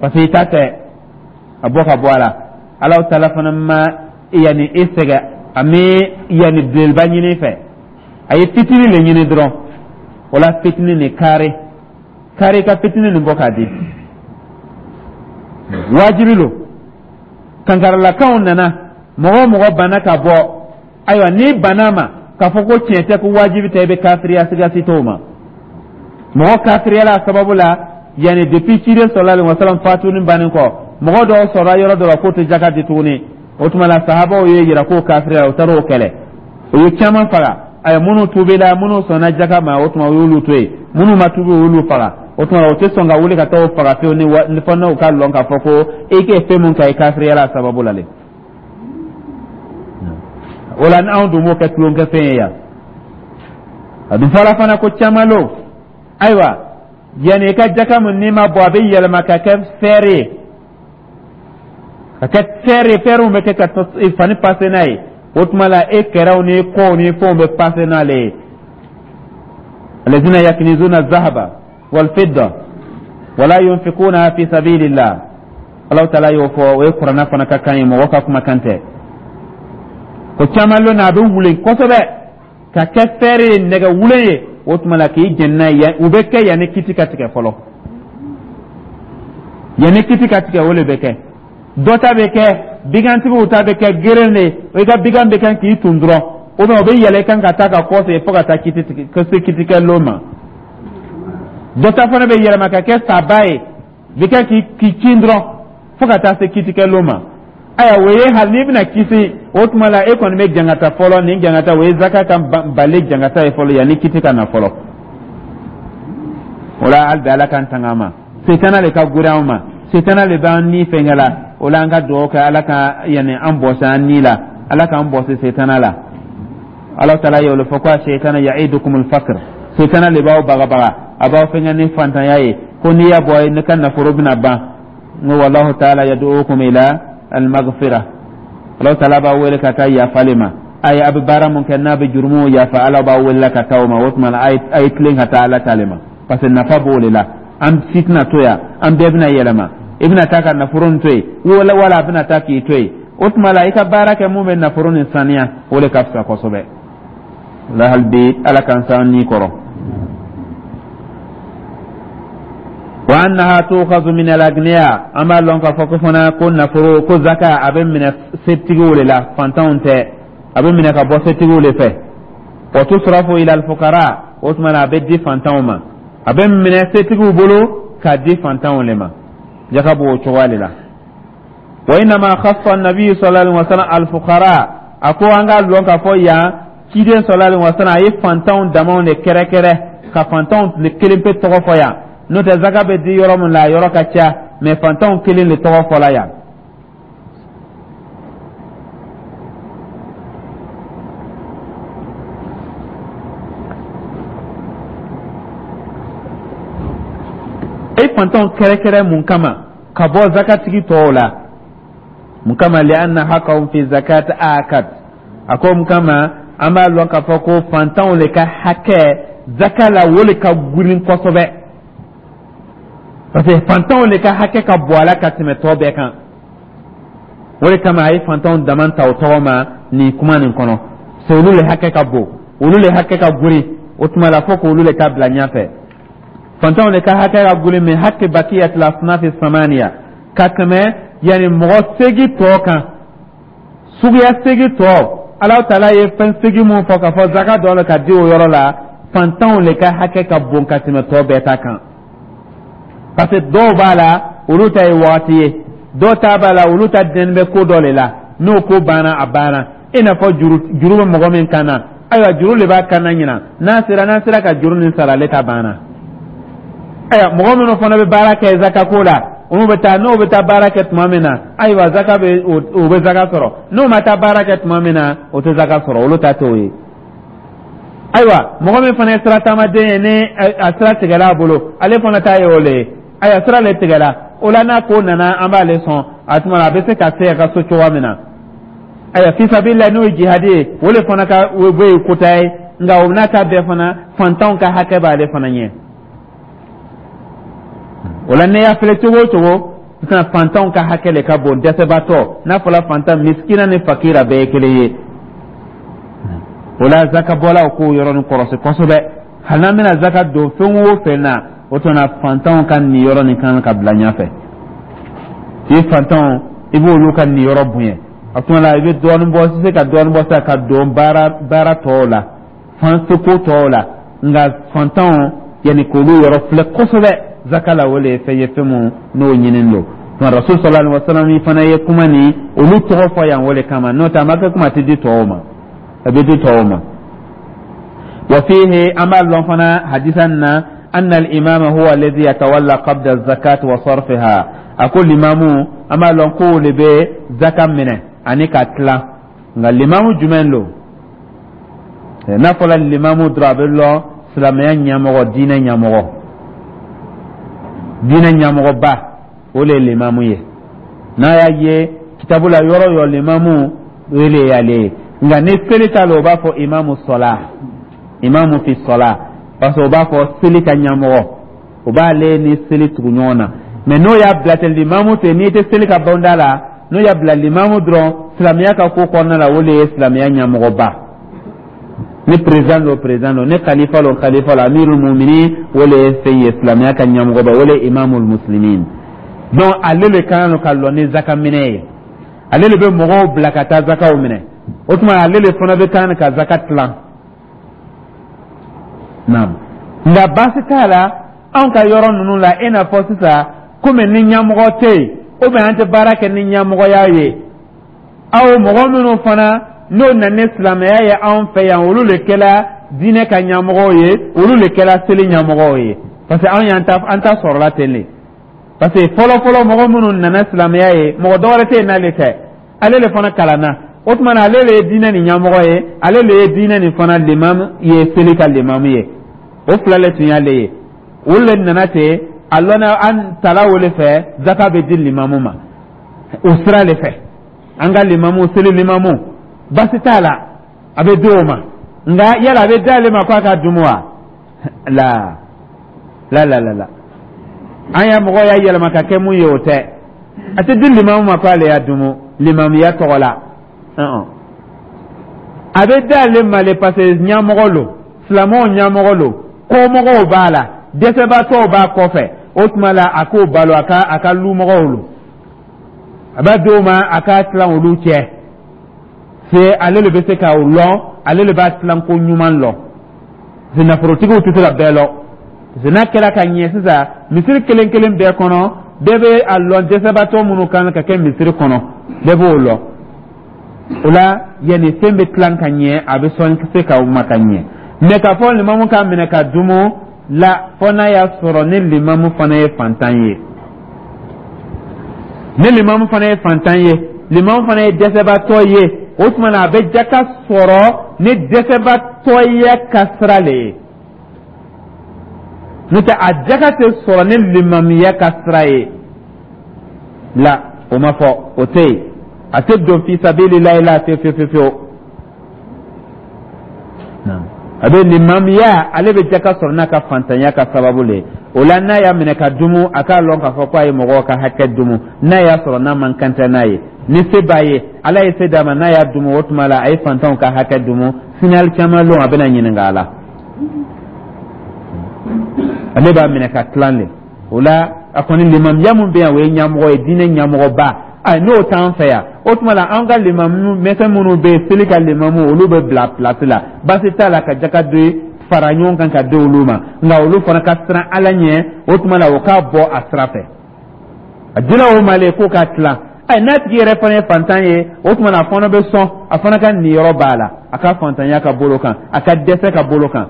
parce que i ta tɛ. A bɔ ka bɔ a la. Ala taala fana ma yanni i sɛgɛn, a mi yanni belebeleba ɲini fɛ, a ye fitinin le ɲini dɔrɔn. O la fitinin nin, kaari kaari ka fitinin nin bɔ k'a di, wajibi lo. Kankaralakanw nana, mɔgɔ o mɔgɔ banna ka bɔ, ayiwa, n'i banna ma k'a fɔ ko tiɲɛ tɛ, ko wajibi tɛ, i bɛ kafiriya, sigasi t'o ma. Mɔgɔ kafiriyala a sababu la, yanni depuis ciden sallallahu alaihi wasallam fatuni bannen kɔ, mɔgɔ dɔw sɔrɔla yɔrɔ dɔ la k'o tɛ jaka di tuguni. O tuma la sahabaw ye yira k'o kafiriya, o taara o kɛlɛ, o ye caman faga. Ayiwa, minnu tubila, minnu sɔnna jaka ma, o tuma o y'olu to yen. Minnu ma tubi, o y'olu faga. O tuma o tɛ sɔn ka wuli ka taa o faga fewu ni fɔ n'o ka lɔn k'a fɔ ko e k'e fɛn mun kɛ, i kafiriyala a sababu la le. O la anw dun b'o kɛ tulonkɛfɛn ye yan. A dun fɔra fana ko caman lo. Ayiwa, yanni i ka jaka min n'i ma bɔ, a bɛ yɛlɛma ka kɛ fɛɛrɛ ye, ka kɛ fɛɛrɛ ye. Fɛɛrɛw bɛ kɛ ka fani pase n'a ye. O tuma la e kɛrɛw ni kɔw ni fɛnw bɛ pase n'ale ye. Alladhina yaknizuna adh-dhahaba wal-fidda wala yunfiquna fi sabilillah. Allahu taala y'o fɔ, o ye kuranna fana ka kan ye, mɔgɔ ka kumakan tɛ. Ko caman lon na, a bɛ wulen kosɛbɛ ka kɛ fɛɛrɛ ye, nɛgɛ wulen ye. O tuma la k'i jɛn n'a ye, u bɛ kɛ yanni kiti ka tigɛ fɔlɔ. Yanni kiti ka tigɛ, o de bɛ kɛ. Dɔ ta bɛ kɛ, bigantigiw ta bɛ kɛ geren de. I ka bigan bɛ kɛ k'i tun dɔrɔn, ou bien o bɛ yɛlɛ i kan ka taa ka kɔsegin fo ka taa kiti tigɛ, ka se kitikɛ ma. Dɔ ta fana bɛ yɛlɛma ka kɛ saba ye, bɛ kɛ k'i k'i cin dɔrɔn fo ka taa se kitikɛ ma. Ayiwa, o ye hali n'i bɛna kisi, o tuma la e kɔni bɛ jangata fɔlɔ. Nin jangata, o ye zaka ka bali jangata ye fɔlɔ, yanni kiti ka na fɔlɔ. O la, hali bi Ala k'an tanga a ma. Setana de ka gori anw ma, setana de b'an ni fɛnkɛ la. O la, an ka dugawu kɛ Ala ka yanni an bɔsi an ni la, Ala k'an bɔsi setana la. Ala taala y'o fɔ ko ash-shaytanu ya'idukumul faqr, setana de b'aw bagabaga, a b'aw fɛnkɛ ni fantanya ye, ko n'i y'a bɔ ne ka nafolo bɛna ban. N ko wallahu taala yad'ukum ila al-maghfira, Ala taala b'a wele ka taa yafali ma. A ye a bɛ baara mun kɛ n'a bɛ jurumu yafa, Ala b'a wele ka taa o ma. O tuma na, a ye tilen ka taa Ala ta le ma, parce que nafa b'o de la. An si tɛna to yan, an bɛɛ bɛna yɛlɛma. I bɛna taa ka nafolo nin to yen, wala wala a bɛna taa k'i to yen. O tuma la, i ka baara kɛ mun bɛ nafolo nin saniya, o de ka fisa kosɛbɛ. La hali bi, Ala k'an s'an ni kɔrɔ. Wa annaha tu'khadhu min al-aghniya, an b'a lɔn k'a fɔ ko fana ko nafolo ko zaka, a bɛ minɛ setigiw de la, fantanw tɛ. A bɛ minɛ ka bɔ setigiw de fɛ. Wa tusrafu ila al-fuqara, o tuma na a bɛ di fantanw ma. A bɛ minɛ setigiw bolo k'a di fantanw de ma. Jaka b'o cogoya de la. Wa innama khassa an-nabi sallallahu alaihi wasallam al-fuqara, a ko an k'a lɔn k'a fɔ yan, ciden sallallahu alaihi wasallam a ye fantanw damaw de kɛrɛkɛrɛ, ka fantanw kelen pe tɔgɔ fɔ yan. N'o tɛ, zaka bɛ di yɔrɔ min la, a yɔrɔ ka ca, mɛ fantanw kelen de tɔgɔ fɔla yan. E fantanw kɛrɛkɛrɛ mun kama ka bɔ zakatigi tɔw la? Mun kama? Li'anna haqqahum fi zakat akad. A ko mun kama? An b'a lɔn k'a fɔ ko fantanw de ka hakɛ zaka la, o de ka girin kosɛbɛ, parce que fantanw de ka hakɛ ka bɔ a la ka tɛmɛ tɔ bɛɛ kan. O de kama a ye fantanw dama ta o tɔgɔ ma nin kuma nin kɔnɔ. C'est olu de hakɛ ka bon, olu de hakɛ ka girin. O tuma la, fo k'olu de ta bila ɲɛfɛ. Fantanw de ka hakɛ ka girin min haqqi baqiyatil asnafi samaniya, ka tɛmɛ yanni mɔgɔ segi tɔ kan, suguya segi tɔ. Ala taala ye fɛn segi mun fɔ k'a fɔ zaka dɔ la ka di o yɔrɔ la, fantanw de ka hakɛ ka bon ka tɛmɛ tɔ bɛɛ ta kan, parce que dɔw b'a la, olu ta ye wagati ye, dɔw ta b'a la, olu ta dɛnni bɛ ko dɔ de la, n'o ko banna, a banna. I n'a fɔ juru, juru bɛ mɔgɔ min kan na, ayiwa, juru de b'a kan na ɲina, n'a sera n'a sera ka juru nin sara, ale ta banna. Ayiwa, mɔgɔ minnu fana bɛ baara kɛ zaka ko la, olu bɛ taa, n'o bɛ taa baara kɛ tuma min na, ayiwa, zaka bɛ o bɛ zaka sɔrɔ. N'o ma taa baara kɛ tuma min na, o tɛ zaka sɔrɔ, olu ta t'o ye. Ayiwa, mɔgɔ min fana ye sira taamaden ye, ni a sira tigɛla a bolo, ale fana ta ye o le ye. Ayiwa, sira le tigɛla o la, n'a ko nana, an b'ale sɔn a tuma na, a bɛ se ka se a ka so cogoya min na. Ayiwa, fisabila, n'o ye jihadi ye, o le fana ka o bɛ ye kota ye. Nka o n'a ta bɛɛ fana, fantanw ka hakɛ b'ale fana ɲɛ. O la, ne y'a filɛ cogo o cogo sisan, fantanw ka hakɛ le ka bon. Dɛsɛbaatɔ, n'a fɔra fantan, misikina ni fakira bɛɛ ye kelen ye. O la, zakabɔlaw k'o yɔrɔnin kɔlɔsi kosɛbɛ. Hali n'an bɛna zaka don fɛn o fɛn na, o tuma fantanw ka niyɔrɔ nin kan ka bila ɲɛfɛ. I fantanw, i b'olu ka niyɔrɔ bonya. A tuma la, i bɛ dɔɔnin bɔ, i se ka dɔɔnin bɔ sisan ka don baara baara tɔw la, fan seko tɔw la, nka fantanw, yanni k'olu yɔrɔ filɛ kosɛbɛ zaka la, o de ye fɛn ye, fɛn mun n'o ɲininen don. Nka Rasul sallallahu alaihi wasallam fana ye kuma ni olu tɔgɔ fɔ yan, o de kama. N'o tɛ, a ma kɛ kuma tɛ di tɔw ma, a bɛ di tɔw ma. Wa fihi, an b'a lɔn fana hadisa na, anna al-imama huwa alladhi yatawalla qabda az-zakat wa sarfiha. A ko limamu, an b'a lɔn k'o de bɛ zaka minɛ ani ka tila. Nka limamu jumɛn don? N'a fɔra limamu dɔrɔn, a bɛ lɔn silamɛya ɲɛmɔgɔ, diinɛ ɲɛmɔgɔ, diinɛ ɲɛmɔgɔba, o de ye limamu ye. N'a y'a ye kitabu la yɔrɔ o yɔrɔ, limamu, o de y'ale ye. Nka ni seli t'a la, o b'a fɔ imamu sɔla, imamu fi sɔla. Parce que o b'a fɔ seli ka ɲɛmɔgɔ, o b'ale ni seli tugu ɲɔgɔn na. Mais n'o y'a bila ten, limamu ten, n'i tɛ seli ka bonda la, n'o y'a bila limamu dɔrɔn, silamɛya ka ko kɔnɔna la, o de ye silamɛya ɲɛmɔgɔba. Ni président don, président don, ni khalifa don, khalifa don, amirul muminin, o de ye fɛn ye, silamɛya ka ɲɛmɔgɔba, o de ye imamul muslimin. Donc ale le kan ka lɔ ni zaka minɛ ye, ale de bɛ mɔgɔw bila ka taa zakaw minɛ. O tuma ale de fana bɛ kan ka zaka tilan. Naam, nka baasi t'a la, anw ka yɔrɔ ninnu la, i n'a fɔ sisan, komi ni ɲɛmɔgɔ tɛ yen, ou bien an tɛ baara kɛ ni ɲɛmɔgɔya ye, aw mɔgɔ minnu fana n'o nana ni silamɛya ye anw fɛ yan, olu de kɛla diinɛ ka ɲɛmɔgɔw ye, olu de kɛla seli ɲɛmɔgɔw ye, parce que anw y'an ta, an ta sɔrɔla ten de. Parce que fɔlɔ fɔlɔ, mɔgɔ minnu nana silamɛya ye, mɔgɔ dɔwɛrɛ tɛ yen n'ale tɛ. Ale de fana kalanna. O tuma na, ale de ye diinɛ nin ɲɛmɔgɔ ye, ale de ye diinɛ nin fana limamu ye, seli ka limamu ye. O fila le tun y'ale ye. Olu de nana ten, a lɔnna an tala o de fɛ, zaka bɛ di limamu ma o sira de fɛ. An ka limamu, seli limamu, basi t'a la, a bɛ di o ma. Nka yala a bɛ di ale ma k'a ka dumu wa? La la la la la, an ya mɔgɔ y'a yɛlɛma ka kɛ mun ye, o tɛ. A tɛ di limamu ma k'ale y'a dumu limamuya tɔgɔ la. A bɛ di ale ma le parce que ɲɛmɔgɔ lo, silamɛw ɲɛmɔgɔ lo, kɔmɔgɔw b'a la, dɛsɛbaatɔw b'a kɔfɛ. O tuma la, a k'o balo, a ka a ka lumɔgɔw lo, a b'a di o ma, a k'a tilan olu cɛ. Se ale de bɛ se k'o lɔn, ale de b'a tilan ko ɲuman lɔn, parce que nafolotigiw tɛ se ka bɛɛ lɔn. Parce que n'a kɛra ka ɲɛ sisan, misiri kelen kelen bɛɛ kɔnɔ, bɛɛ bɛ a lɔn dɛsɛbaatɔ minnu kan ka kɛ misiri kɔnɔ, bɛɛ b'o lɔn. O la, yanni fɛn bɛ tilan ka ɲɛ, a bɛ sɔn se ka ma ka ɲɛ. Mais k'a fɔ limamu k'a minɛ ka dumu la, fɔ n'a y'a sɔrɔ ni limamu fana ye fantan ye, ni limamu fana ye fantan ye, limamu fana ye dɛsɛbaatɔ ye, o tuma na a bɛ jaka sɔrɔ ni dɛsɛbaatɔya ka sira le ye. N'o tɛ, a jaka tɛ sɔrɔ ni limamuya ka sira ye la, o ma fɔ, o tɛ yen. A tɛ don fi sabilillahi la fiyewu fiyewu fiyewu. A bɛ limamuya, ale bɛ jaka sɔrɔ n'a ka fantanya ka sababu le ye. O la, n'a y'a minɛ ka dumu, a k'a lɔn k'a fɔ k'a ye mɔgɔw ka hakɛ dumu. N'a y'a sɔrɔ n'a man kan tɛ n'a ye, ni se b'a ye, Ala ye se d'a ma, n'a y'a dumu, o tuma la a ye fantanw ka hakɛ dumu. Sini alikiyama lon, a bɛna ɲininka a la. Ale b'a minɛ ka tilan de. O la, a kɔni limamuya mun bɛ yan, o ye ɲɛmɔgɔ ye, diinɛ ɲɛmɔgɔba. Ayi, n'o t'an fɛ yan, o tuma la an ka limamu mɛsɛn minnu bɛ yen, seli ka limamu, olu bɛ bila place la. Baasi t'a la ka jaka di fara ɲɔgɔn kan ka di olu ma, nka olu fana ka siran Ala ɲɛ. O tuma la, o k'a bɔ a sira fɛ, a dila o ma le k'o ka tilan. Ayi, n'a tigi yɛrɛ fana ye fantan ye, o tuma la a fana bɛ sɔn, a fana ka niyɔrɔ b'a la, a ka fantanya ka bolo kan, a ka dɛsɛ ka bolo kan.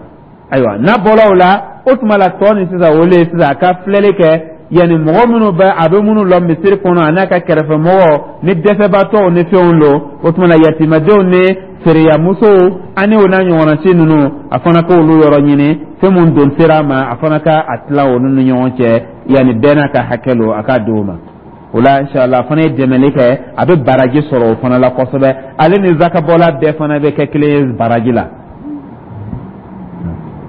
Ayiwa, n'a bɔra o la, o tuma la tɔ nin sisan, o le ye sisan a ka filɛli kɛ, yanni mɔgɔ minnu bɛ a bɛ minnu lɔ misiri kɔnɔ, a n'a ka kɛrɛfɛmɔgɔ ni dɛsɛbaatɔw ni fɛnw lo. O tuma la, yatimadenw ni feereyamusow ani o n'a ɲɔgɔnna si ninnu, a fana k'olu yɔrɔ ɲini, fɛn mun don sera a ma, a fana ka a tila olu ni ɲɔgɔn cɛ, yanni bɛɛ n'a ka hakɛ lo, a k'a di o ma. O la, inshallah, a fana ye dɛmɛli kɛ, a bɛ baraji sɔrɔ o fana la kosɛbɛ. Ale ni zakabɔla bɛɛ fana bɛ kɛ kelen ye baraji la.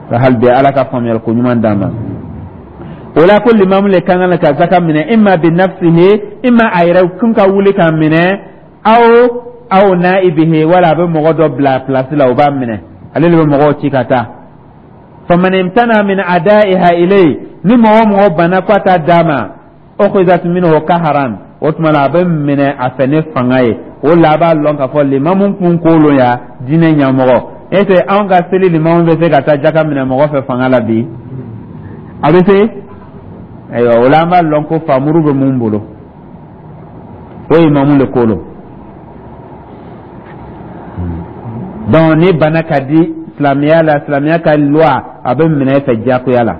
Ka hali bi Ala ka faamuyali ko ɲuman d'an ma. O la, ko limamu le kan ka zaka minɛ, imma bi nafsihi, imma a yɛrɛ kun ka wuli k'a minɛ, aw aw naibihi, wala a bɛ mɔgɔ dɔ bila place la, o b'a minɛ, ale de bɛ mɔgɔw ci ka taa. Faman imtana min adaiha ilay, ni mɔgɔ mɔgɔ banna k'a t'a d'a ma, ukhizat minhu kaharan, o tuma la a bɛ minɛ a fɛ ni fanga ye. O la, a b'a lɔn k'a fɔ limamu kun ko lo ya diinɛ ɲɛmɔgɔ e tɛ. Anw ka seli limamu bɛ se ka taa jaka minɛ mɔgɔ fɛ fanga la bi? A bɛ se. Ayiwa, o la an b'a lɔn ko famuru bɛ mun bolo, o ye imamu le ko lo. Donc ni bana ka di silamɛya la, silamɛya ka loi, a bɛ minɛ e fɛ diyagoya la.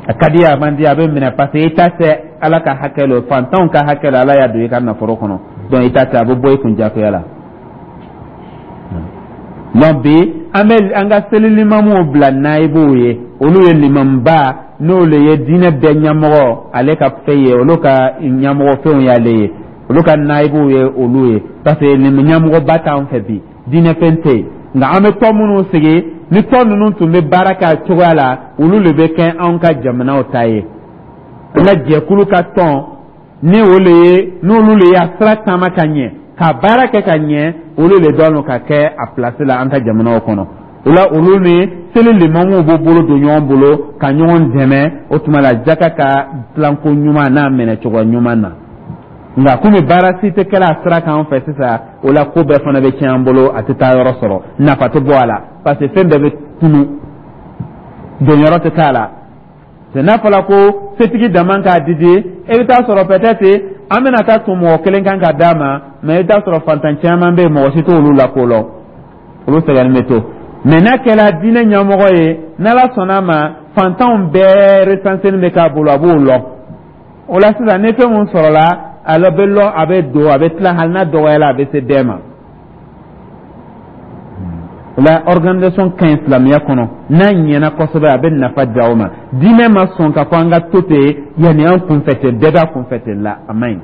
A ka di, a man di, a bɛ minɛ, parce que i ta tɛ, Ala ka hakɛ lo, fantanw ka hakɛ lo, Ala y'a don i ka nafolo kɔnɔ. Donc i ta tɛ, a bɛ bɔ i kun diyagoya la. Donc bi, an bɛ an ka seli limamuw bila nayibuw ye, olu ye limamuba, n'olu ye diinɛ bɛɛ ɲɛmɔgɔ, ale ka fɛn ye, olu ka ɲɛmɔgɔ fɛnw y'ale ye, olu ka nayibuw ye olu ye, parce que ɲɛmɔgɔba t'an fɛ bi, diinɛ fɛn tɛ yen. Nka an bɛ tɔn minnu sigi, ni tɔn ninnu tun bɛ baara kɛ a cogoya la, olu de bɛ kɛ anw ka jamanaw ta ye. An ka jɛkulu ka tɔn, ni o le ye, n'olu le y'a sira taama ka ɲɛ, ka baara kɛ ka ɲɛ, olu de dɔn ka kɛ a place la an ka jamanaw kɔnɔ. O la, olu ni seli limamuw b'u bolo don ɲɔgɔn bolo ka ɲɔgɔn dɛmɛ. O tuma la, jaka ka dilanko ɲuman n'a minɛ cogo ɲuman na. Nka komi baara si tɛ kɛla a sira kan fɛ sisan, o la ko bɛɛ fana bɛ tiɲɛ an bolo, a tɛ taa yɔrɔ sɔrɔ, nafa tɛ bɔ a la, parce que fɛn bɛɛ bɛ tunu, donyɔrɔ tɛ k'a la. N'a fɔra ko setigi dama k'a di di, e bɛ taa sɔrɔ peut-être an bɛna taa tun mɔgɔ kelen kan ka d'a ma, mais i bɛ taa sɔrɔ fantan caman bɛ yen, mɔgɔ si t'olu la ko lɔ, olu sɛgɛnnen bɛ to. Mais n'a kɛra diinɛ ɲɛmɔgɔ ye, n'Ala sɔnna a ma, fantanw bɛɛ recensé bɛ k'a bolo, a b'o lɔ. O la sisan, ni fɛn mun sɔrɔla, a bɛ lɔ, a bɛ don, a bɛ tila, hali n'a dɔgɔyara, a bɛ se bɛɛ ma. O la, organisation ka ɲi silamɛya kɔnɔ. N'a ɲɛna kosɛbɛ, a bɛ nafa di aw ma. Diinɛ ma sɔn ka fɔ an ka to ten, yanni an kunfɛ ten, bɛɛ b'a kunfɛ ten la, a man ɲi.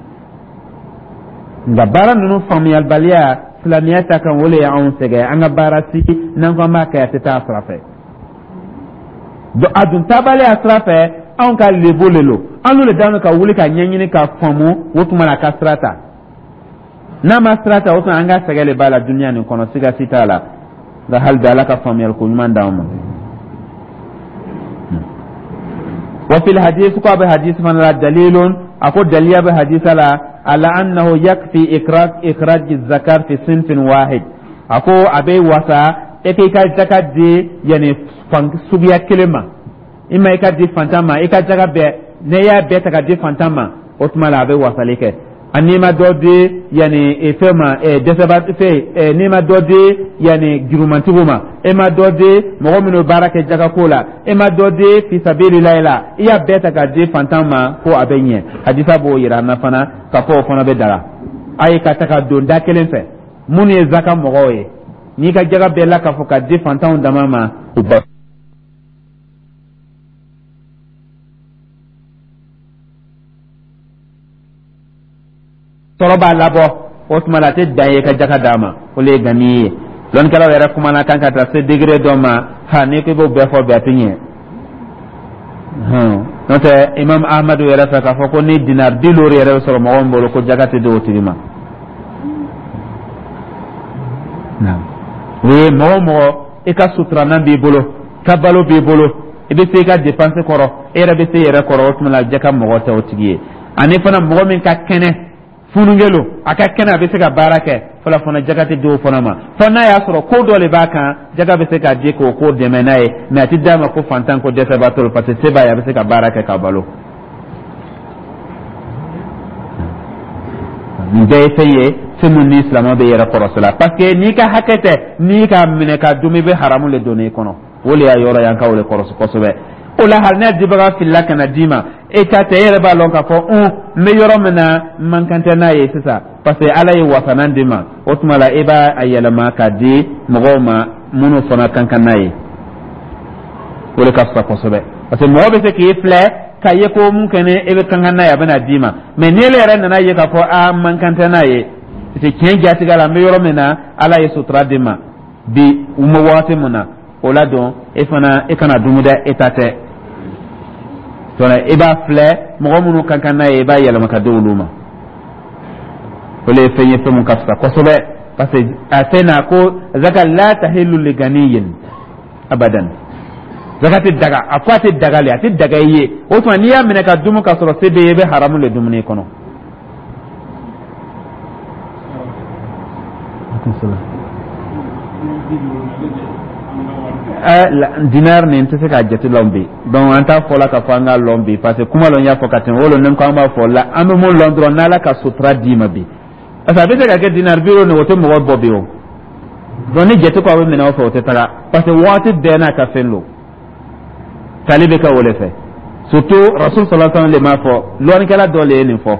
Nka baara ninnu faamuyalibaliya silamɛya ta kan, o de y'anw sɛgɛn. An ka baara si, n'an ko an b'a kɛ, a tɛ taa sira fɛ. Donc a dun taabaliya sira fɛ, anw ka lebu le lo, an n'o de daminɛ ka wuli ka ɲɛɲini ka faamu. O tuma na, a ka sira ta, n'a ma sira ta, o tuma an ka sɛgɛn de b'a la duniya nin kɔnɔ, siga si t'a la. Nka hali bi, Ala ka faamuyali ko ɲuman d'anw ma. Wa fil hadith, ko a bɛ hadith fana la, dalilun, a ko daliya bɛ hadisa la, ala annahu yakfi ikraj ikhraj zakat fi sinfin wahid. A ko a bɛ wasa e k'i ka jaka di yani fan suguya kelen ma. I ma i ka di fantan ma, i ka jaga bɛɛ, n'i y'a bɛɛ ta ka di fantan ma, o tuma la a bɛ wasali kɛ. N'i ma dɔ di yanni fɛn ma, dɛsɛba fɛn, n'i ma dɔ di yanni jurumantigiw ma, e ma dɔ di mɔgɔ minnu baara kɛ jagako la, e ma dɔ di fisabililayi la, i y'a bɛɛ ta ka di fantan ma, ko a bɛ ɲɛ. Hadisa b'o yira an na fana ka fɔ o fana bɛ daga a ye ka ta ka don da kelen fɛ. Minnu ye zaka mɔgɔw ye, n'i ka jaga bɛɛ la k'a fɔ ka di fantanw dama ma, u ba sɔrɔ b'a labɔ, o tuma la a tɛ dan ye ka jaka d'a ma, o le ye gani ye. Lɔnnikɛlaw yɛrɛ kumana kan ka taa se degré dɔ ma. Ha, n'i ko i b'o bɛɛ fɔ bi, a tɛ ɲɛ. N'o tɛ, Imam Ahmadu yɛrɛ fɛ, k'a fɔ ko ni dinar bi loori yɛrɛ bɛ sɔrɔ mɔgɔ min bolo, ko jaka tɛ di o tigi ma. O ye mɔgɔ o mɔgɔ, i ka suturanan b'i bolo, ka balo b'i bolo, i bɛ se i ka dépense kɔrɔ, e yɛrɛ bɛ se i yɛrɛ kɔrɔ, o tuma la jaka mɔgɔ tɛ o tigi ye. Ani fana, mɔgɔ min ka kɛnɛ, funukɛ a ka kɛnɛ, a bɛ se ka baara kɛ fɔlɔ fana, jaga tɛ di o fana ma, fo n'a y'a sɔrɔ ko dɔ de b'a kan, jaga bɛ se ka di k'o ko dɛmɛ n'a ye. Mais a tɛ d'a ma ko fantan, ko dɛsɛbaatɔ don, parce que se b'a ye, a bɛ se ka baara kɛ ka balo. Nin bɛɛ ye fɛn ye, fɛn min ni silamɛ bɛ yɛrɛ kɔrɔsi la, parce que n'i ka hakɛ tɛ, n'i k'a minɛ ka dun, i bɛ haramu le don i kɔnɔ. O le y'a yɔrɔ ye, an ka o le kɔrɔsi kosɛbɛ. O la, hali n'a dibaga filila ka na d'i ma, e ta tɛ, e yɛrɛ b'a lɔn k'a fɔ un n bɛ yɔrɔ min na, n man kan tɛ n'a ye sisan, parce que Ala ye wasanan d'i ma. O tuma la, e b'a a yɛlɛma k'a di mɔgɔw ma minnu fana kan kan n'a ye. O de ka fisa kosɛbɛ, parce que mɔgɔ bɛ se k'i filɛ k'a ye ko mun kɛnɛ e bɛ kan kan n'a ye, a bɛ na d'i ma. Mais ni ele yɛrɛ nana ye k'a fɔ a man kan tɛ n'a ye, parce que tiɲɛ jatigɛ la, n bɛ yɔrɔ min na, Ala ye sutura di ma bi, u ma waati min na, o la dɔn e fana e kana dumu dɛ, e ta tɛ. I b'a filɛ mɔgɔ minnu kan kan n'a ye, i b'a yɛlɛma ka di olu ma. O le ye fɛn ye, fɛn mun ka fisa kosɛbɛ, parce que a fɛn na ko zaka la tahillu li ganiyin abadan. Zaka tɛ daga, a ko a tɛ daga le, a tɛ daga i ye. O tuma, n'i y'a minɛ ka dumu ka sɔrɔ se bɛ ye, i bɛ haramu le dumuni kɔnɔ. Dinar nin tɛ se k'a jate lɔn bi. Donc an t'a fɔ la k'a fɔ an k'a lɔn bi, parce que kuma lɔn y'a fɔ ka tɛmɛ o lɔn. Ni ko an b'a fɔ la, an bɛ mun lɔn dɔrɔn, n'Ala ka sutura d'i ma bi, parce que a bɛ se ka kɛ dinar bi nin, o tɛ mɔgɔ bɔ bi o. Donc ni jate ko a bɛ minɛ o fɛ, o tɛ taga, parce que waati bɛɛ n'a ka fɛn don, tali bɛ kɛ o de fɛ. Surtout Rasul sallallahu alaihi wasallam de m'a fɔ, lɔnnikɛla dɔ le ye nin fɔ.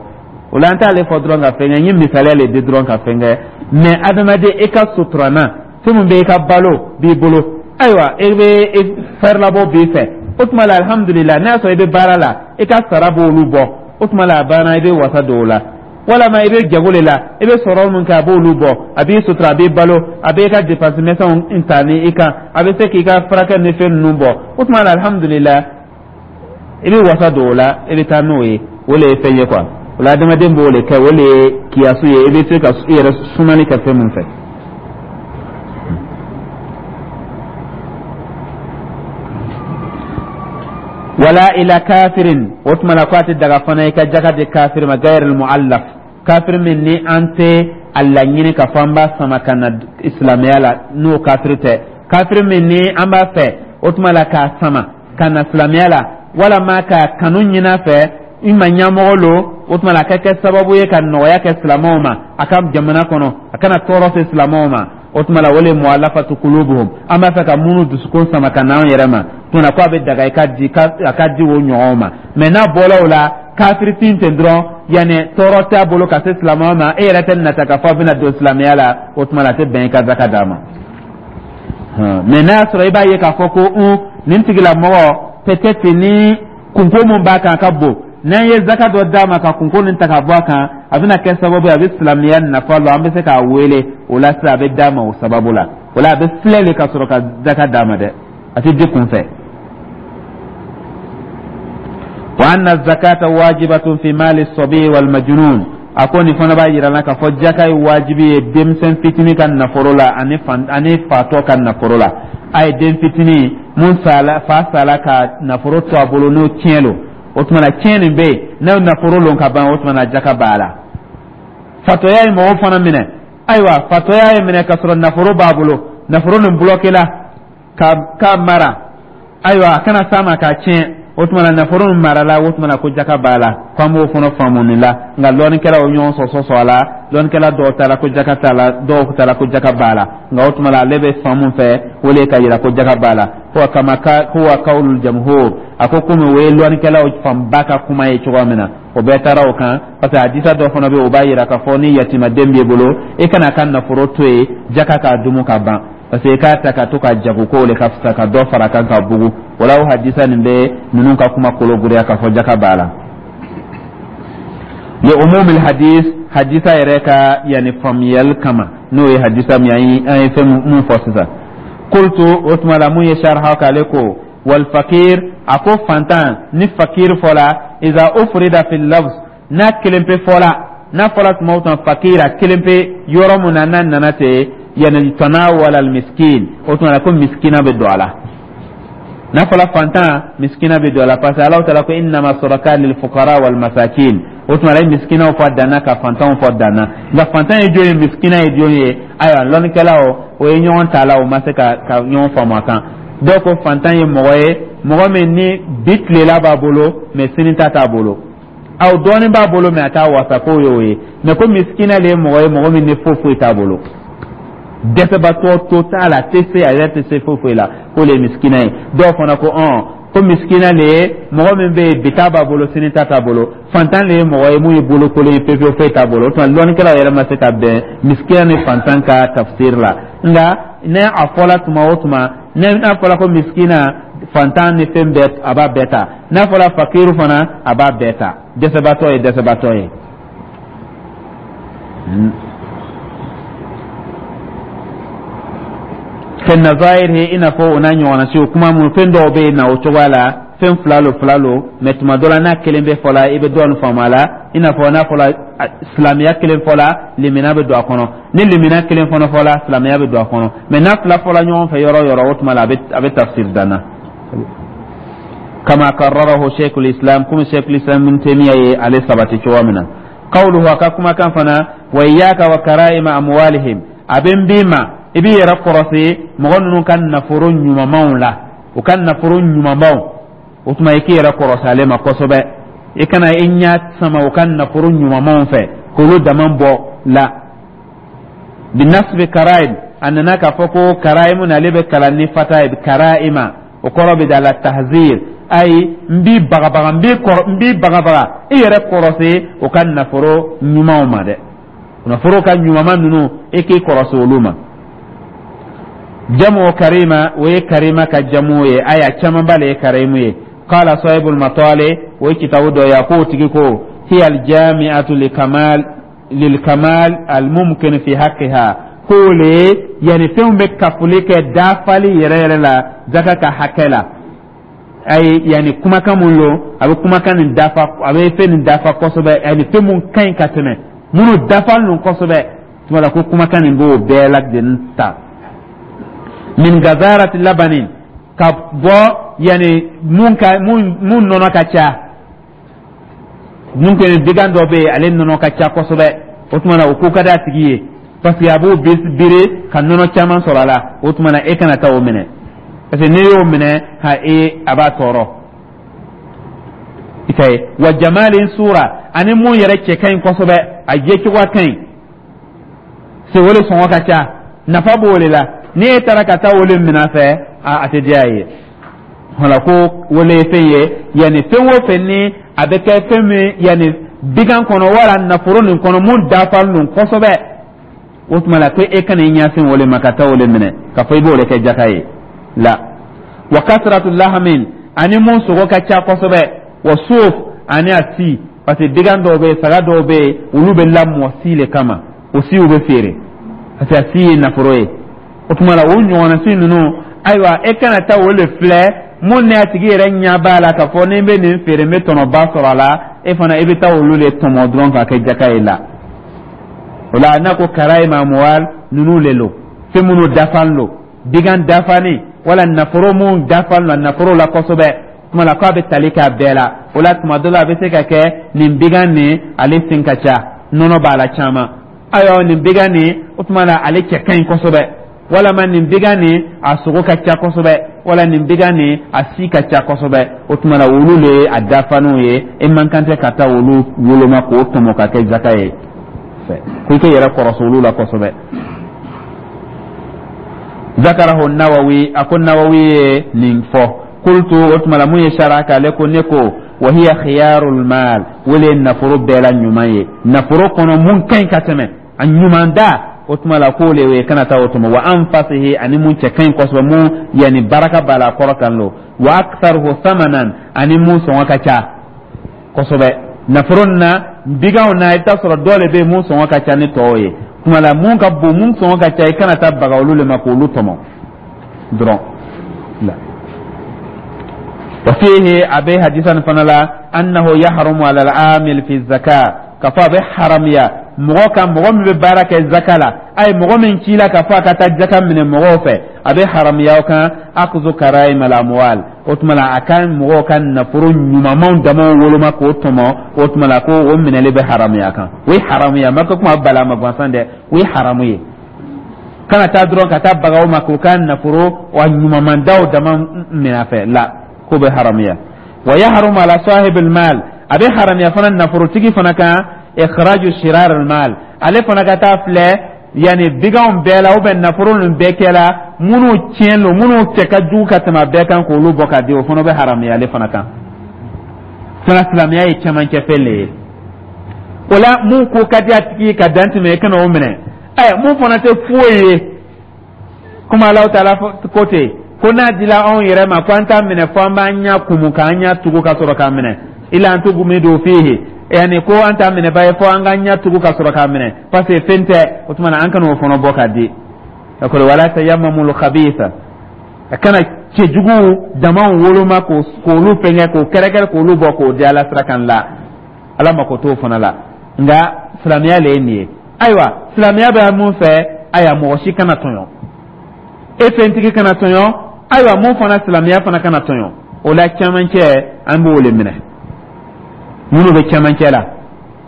O la, an t'ale fɔ dɔrɔn ka fɛn kɛ, n ye misaliya le di dɔrɔn ka fɛn kɛ. Mais adamaden, e ka suturana fɛn min bɛ, i ka balo b'i bolo, ayiwa, e bɛ fɛrɛlabɔ b'i fɛ, o tuma la, alihamudulila, n'a y'a sɔrɔ i bɛ baara la, i ka sara b'olu bɔ, o tuma la a banna, i bɛ wasa don o la. Walama i bɛ jago le la, i bɛ sɔrɔ min kɛ, a b'olu bɔ, a b'i sutura, a b'i balo, a b'i ka dépense misɛnw ta ni i kan, a bɛ se k'i ka furakɛ ni fɛn ninnu bɔ. O tuma na, alhamdulillah, i bɛ wasa don o la, i bɛ taa n'o ye. O le ye fɛn ye quoi. O la, adamaden b'o de kɛ, o le ye kiyasu ye, i bɛ se ka i yɛrɛ sumali kɛ fɛn min fɛ. Wala ila kafirin, o tuma na ko a tɛ daga fana i ka jaka di kafiri ma, gayr muallaf, kafiri min ni an tɛ a laɲini ka fɔ an b'a sama ka na silamɛya la, n'o kafiri tɛ. Kafiri min ni an b'a fɛ, o tuma la, k'a sama ka na silamɛya la, walama k'a kanu ɲini a fɛ, i ma ɲɛmɔgɔ lo, o tuma la, a ka kɛ sababu ye ka nɔgɔya kɛ silamɛw ma a ka jamana kɔnɔ, a kana tɔɔrɔ se silamɛw ma. O tuma la, o le mu'allafatu qulubuhum, an b'a fɛ ka minnu dusukun sama ka n'an yɛrɛ ma. Tuma na ko a bɛ daga i ka di, a ka di o ɲɔgɔnw ma. Mɛ n'a bɔra o la, kafirifin ten dɔrɔn, yanni tɔɔrɔ t'a bolo ka se silamɛw ma, e yɛrɛ tɛ nata ka fɔ a bɛna don silamɛya la, o tuma la, a tɛ bɛn i ka zaka d'a ma. Mɛ n'a y'a sɔrɔ i b'a ye k'a fɔ ko un nin tigilamɔgɔ, peut-être ni kunko mun b'a kan a ka bon, n'an ye zaka dɔ d'a ma ka kunko nin ta ka bɔ a kan, a bɛna kɛ sababu ye a bɛ silamɛya nafa lɔ, an bɛ se k'a wele o la sisan, a bɛ d'a ma o sababu la. O la, a bɛ filɛ de ka sɔrɔ ka zaka d'a ma dɛ, a tɛ di kun fɛ. Wa anna zakata wajibatun fi mali sabi wal majnun, a ko nin fana b'a yira la k'a fɔ jaka ye wajibi ye denmisɛn fitinin ka nafolo la ani fan ani fatɔ ka nafolo la. A ye den fitinin mun sala, fa sala ka nafolo to a bolo, n'o tiɲɛ lo, o tuma na tiɲɛ nin bɛ yen, n'o nafolo lon ka ban, o tuma na jaka b'a la. Fatɔya ye mɔgɔw fana minɛ, ayiwa, fatɔya ye minɛ ka sɔrɔ nafolo b'a bolo, nafolo nin bloqué la ka ka mara, ayiwa, a kana s'a ma k'a tiɲɛ, o tuma na nafolo min marala, o tuma na ko jaka b'a la. Ko an b'o fana faamu nin la. Nka lɔnnikɛlaw ɲɔgɔn sɔsɔ sɔsɔ a la. Lɔnnikɛla dɔw taara ko jaka t'a la, dɔw taara ko jaka b'a la. Nka o tuma na, ale bɛ faamu fɛ, o le ka yira ko jaka b'a la. Huwa kama ka huwa qawlul jamhur, a ko komi o ye lɔnnikɛlaw fanba ka kuma ye cogoya min na, o bɛɛ taara o kan, parce que hadisa dɔ fana bɛ yen, o b'a yira k'a fɔ ni yatimaden b'i bolo, i kana ka nafolo to yen jaka k'a dumu ka ban, parce que i k'a ta ka to ka jago ko le ka fisa ka dɔ fara kan ka bugu. O la, o hadisa nin bɛ ninnu ka kuma kolo giriya k'a fɔ jaka b'a la. Li umumil hadis, hadisa yɛrɛ ka yanni faamuyali kama, n'o ye hadisa min an ye fɛn mun fɔ sisan. Qultu, o tuma la, mun ye sharha k'ale ko wal fakir, a ko fantan, ni fakir fɔla, iza ufrida fil lafz, n'a kelen pe fɔla, n'a fɔla tuma o tuma fakir a kelen pe yɔrɔ mun na, n'a nana ten, yani tanawala al miskin, o tuma la ko miskina bɛ don a la. N'a fɔla fantan, miskina bɛ don a la, parce que Alahu taala ko innama sadakat lil fuqara wal masakin. O tuma la, i miskinaw fɔ danna ka fantanw fɔ danna. Nka fantan ye jɔn ye, miskina ye jɔn ye? Ayiwa, lɔnnikɛlaw o ye ɲɔgɔn ta la, o ma se ka ka ɲɔgɔn faamu a kan. Dɔw ko fantan ye mɔgɔ ye, mɔgɔ min ni bi tilela b'a bolo, mɛ sini ta t'a bolo, aw dɔɔnin b'a bolo, mɛ a t'a wasa, k'o y'o ye. Mɛ ko miskina le ye mɔgɔ ye, mɔgɔ min ni foyi foyi t'a bolo, dɛsɛbatɔ to t'a la, a tɛ se, a yɛrɛ tɛ se foyi foyi la, k'o le ye miskina ye. Dɔw fana ko ɔn ko miskina le ye mɔgɔ min bɛ yen, bi ta b'a bolo, sini ta t'a bolo. Fantan le ye mɔgɔ ye mun ye bolokolen ye pewu, foyi t'a bolo. O tuma lɔnnikɛlaw yɛrɛ ma se ka bɛn miskina ni fantan ka tafsir la. Nka ne a fɔla tuma o tuma, n'a fɔla ko miskina, fantan ni fɛn bɛɛ, a b'a bɛɛ ta. N'a fɔla fakiru fana, a b'a bɛɛ ta, dɛsɛbatɔ ye dɛsɛbatɔ ye. Fɛn nazairi, i n'a fɔ o n'a ɲɔgɔnna siw, kuma mun fɛn dɔw bɛ yen na o cogoya la, fɛn fila lo, fila lo, mɛ tuma dɔ la, n'a kelen bɛ fɔ la, i bɛ dɔɔnin faamu a la. I n'a fɔ n'a fɔla silamɛya kelen fɔ la, limina bɛ don a kɔnɔ. Ni limina kelen fana fɔ la, silamɛya bɛ don a kɔnɔ. Mɛ n'a fila fɔla ɲɔgɔn fɛ yɔrɔ o yɔrɔ, o tuma la, a bɛ a bɛ tafsir danna. Kama karrarahu sheikhul islam, komi sheikhul islam ibn taymiya ye ale sabati cogoya min na. Qawluhu, a ka kumakan fana, wa iyyaka wa karaima amwalihim, a bɛ n b'i ma, i b'i yɛrɛ kɔrɔsi mɔgɔ ninnu ka nafolo ɲumanmanw la, u ka nafolo ɲumanbaw. O tuma, i k'i yɛrɛ kɔrɔsi ale ma kosɛbɛ, i kana i ɲɛ sama u ka nafolo ɲumanmanw fɛ k'olu dama bɔ la. Binasbi karaim, a nana k'a fɔ ko karaimu na, ale bɛ kalan ni fata ye, karaima, o kɔrɔ bɛ da la tahzir, ayi, n b'i bagabaga, n b'i kɔrɔ, n b'i bagabaga, i yɛrɛ kɔrɔsi o ka nafolo ɲumanw ma dɛ, nafolo ka ɲumanma ninnu, i k'i kɔrɔsi olu ma. Jamu karima, o ye karima ka jamu ye, aya camanba le ye karimu ye. Qala sahibul matali, o ye kitabu dɔ ye, a k'o tigi ko hiya aljami'atu li kamal Lil kamal al mumkin fi haqqiha, k'o le yani fɛnw bɛ kafoli kɛ dafali yɛrɛ yɛrɛ la zaka ka hakɛ la. Ayi, yani kumakan mun lo, a bɛ kumakan nin dafa, a bɛ fɛn nin dafa kosɛbɛ, yani fɛn mun ka ɲi ka tɛmɛ minnu dafalen don kosɛbɛ. Tuma la ko kumakan nin b'o bɛɛ lajɛlen ta. Min gazarati labanin, ka bɔ yani mun ka mun mun nɔnɔ ka ca, mun kɛ bigan dɔ bɛ yen, ale nɔnɔ ka ca kosɛbɛ. O tuma na, o ko ka di a tigi ye parce que a b'o bere ka nɔnɔ caman sɔrɔ a la. O tuma na, e kana taa o minɛ, parce que n'i y'o minɛ ha, e a b'a tɔɔrɔ i ka ye. Wa jamalin sura, ani mun yɛrɛ cɛ ka ɲi kosɛbɛ, a ye cogoya ka ɲi se, o de sɔngɔ ka ca, nafa b'o de la. Ni e taara ka taa o de minɛ a fɛ, a a tɛ diya a ye. Wala ko wele ye fɛn ye, yanni fɛn o fɛn ni a bɛ kɛ fɛn min, yanni bigan kɔnɔ wala nafolo nin kɔnɔ, mun dafalen don kosɛbɛ, o tuma la ko e kana i ɲɛsin o de ma ka taa o de minɛ k'a fɔ i b'o de kɛ jaka ye la. Wa kasratu lahamin, ani mun sogo ka ca kosɛbɛ. Wa suuf, ani a si, parce que bigan dɔw bɛ yen, saga dɔw bɛ yen, olu bɛ lamɔ si le kama, o siw bɛ feere parce que a si ye nafolo ye. O tuma la, o ɲɔgɔnna si ninnu, ayiwa, e kana taa o de filɛ mun ni a tigi yɛrɛ ɲɛ b'a la k'a fɔ ni n bɛ nin feere, n bɛ tɔnɔba sɔrɔ a la. E fana, i bɛ taa olu de tɔmɔ dɔrɔn k'a kɛ jaka ye la. O la, n'a ko karaim amuwal ninnu le lo, fɛn minnu dafalen lo, bigan dafalen wala nafolo mun dafalen lo nafolo la kosɛbɛ. Tuma la k'a bɛ tali k'a bɛɛ la. O la, tuma dɔ la, a bɛ se ka kɛ nin bigan nin, ale sen ka ca, nɔnɔ b'a la caman. Ayiwa, nin bigan nin, o tuma la, ale cɛ ka ɲi kosɛbɛ, walama nin bigan nin, a sogo ka ca kosɛbɛ, wala nin bigan nin, a si ka ca kosɛbɛ. O tuma la, olu le ye a dafaninw ye. E man kan tɛ ka taa olu woloma k'o tɔmɔ ka kɛ zaka ye fɛ, ko i k'i yɛrɛ kɔrɔsi olu la kosɛbɛ. Zakarahu Nawawi, a ko Nawawi ye nin fɔ. Kultu, o tuma la, mun ye sara k'ale ko ne ko wa hiya khiyarul mal, o le ye nafolo bɛɛ la ɲuman ye, nafolo kɔnɔ mun ka ɲi ka tɛmɛ a ɲuman da. O tuma la, k'o le ye kana taa o tɔmɔ. Wa anfasihi, ani mun cɛ ka ɲi kosɛbɛ, mun yanni baraka b'a la, kɔrɔ kan lo. Wa aktharuhu thamanan, ani mun sɔngɔ ka ca kosɛbɛ nafolo na, biganw na. I bɛ taa sɔrɔ dɔ de bɛ yen mun sɔngɔ ka ca ni tɔw ye. Tuma la, mun ka bon, mun sɔngɔ ka ca, i kana taa baga olu le ma k'olu tɔmɔ dɔrɔn la. Wa fihi, a bɛ hadisa nin fana la, annahu yahrumu ala al-amil fi zaka, k'a fɔ a bɛ haramiya mɔgɔ kan, mɔgɔ min bɛ baara kɛ zaka la, ayi, mɔgɔ min ci la k'a fɔ a ka taa jaka minɛ mɔgɔw fɛ, a bɛ haramiya o kan akuzu karaim al amwal. O tuma la, a ka mɔgɔw ka nafolo ɲumanmanw damaw woloma k'o tɔmɔ, o tuma la, ko o minɛli bɛ haramiya kan. O ye haramu ye, a ma kɛ kuma balama gansan dɛ, o ye haramu ye. Kana taa dɔrɔn ka taa baga o ma k'o ka nafolo wa ɲumanmandaw dama minɛ a fɛ la, k'o bɛ haramiya. Wa yahrumu ala sahibil mal, a bɛ haramiya fana nafolotigi fana kan, ikhraju shirar al mal, ale fana ka taa filɛ yanni biganw bɛɛ la ou bien nafolo ninnu bɛɛ kɛla minnu tiɲɛ don, minnu cɛ ka jugu ka tɛmɛ a bɛɛ kan, k'olu bɔ ka di, o fana bɛ haramiya ale fana kan. Fana silamɛya ye cɛmancɛ fɛn le ye. O la, mun ko ka di a tigi ye ka dan tɛmɛ, i kana o minɛ. Ɛ, mun fana tɛ foyi ye, komi Alahu taala ko ten ko n'a dila anw yɛrɛ ma ko an t'a minɛ fo an b'an ɲɛ kumu, k'an ɲɛ tugu ka sɔrɔ k'a minɛ. Ila an tugumidu fihi, yani ko an t'a minɛ ba ye fo an k'an ɲɛ tugu ka sɔrɔ k'a minɛ, parce que fɛn tɛ. O tuma na, an kana o fana bɔ k'a di. D'accord. Wala tayammamul khabitha, a kana cɛjugu damaw woloma k'olu fɛngɛ, k'o kɛrɛkɛrɛ, k'olu bɔ k'o di Ala sira kan la. Ala mako t'o fana la. Nka silamɛya le ye nin ye. Ayiwa, silamɛya bɛ mun fɛ? Ayiwa, mɔgɔ si kana tɔɲɔ, e fɛntigi kana tɔɲɔ. Ayiwa, mun fana, silamɛya fana kana tɔɲɔ. O la, cɛmancɛ, an b'o le minɛ. Minnu bɛ cɛmancɛ la,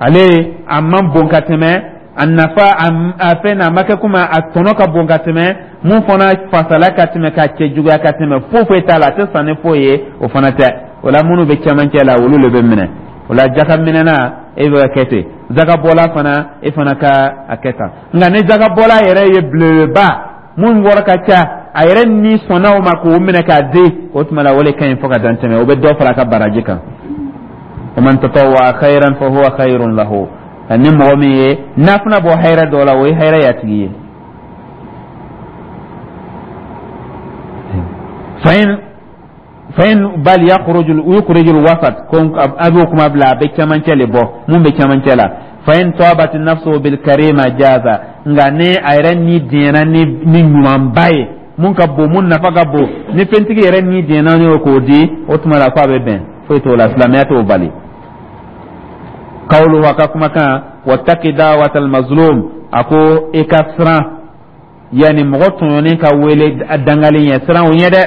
ale a man bon ka tɛmɛ a nafa, a fɛn na a ma kɛ komi a tɔnɔ ka bon ka tɛmɛ mun fana fasala ka tɛmɛ, ka cɛ juguya ka tɛmɛ, foyi foyi t'a la, a tɛ san ni foyi ye, o fana tɛ. O la, minnu bɛ cɛmancɛ la, olu de bɛ minɛ. O la, jaka minɛna, e bɛ kɛ ten, jakabɔla fana, e fana ka a kɛ tan. Nka ni jakabɔla yɛrɛ ye belebeleba mun wɔrɔ ka ca, a yɛrɛ ni sɔnna o ma k'o minɛ k'a di, o tuma la, o de ka ɲi fo ka dan tɛmɛ, o bɛ dɔ fara a ka baraji kan. Wa man tatawwa khairan fa huwa khairun lahu, ani mɔgɔ min ye nafila bɔ hɛrɛ dɔ la, o ye hɛrɛ y'a tigi ye. Fa in fa in bal yakhruju, yukhriju alwasat, ko a b'o kuma bila, a bɛ cɛmancɛ le bɔ, mun bɛ cɛmancɛ la. Fa in tabat nafsu bil karima jaza, nka ni a yɛrɛ ni diɲɛna ni ni ɲumanba ye, mun ka bon, mun nafa ka bon, ni fɛntigi yɛrɛ ni diɲɛna n'o k'o di, o tuma la ko a bɛ bɛn, foyi t'o la, silamɛya t'o bali. Kawulu, a ka kumakan, wattaqi da'watal mazlum, a ko i ka siran yanni mɔgɔ tɔɲɔnen ka wele dangalen ɲɛ, siran o ɲɛ dɛ.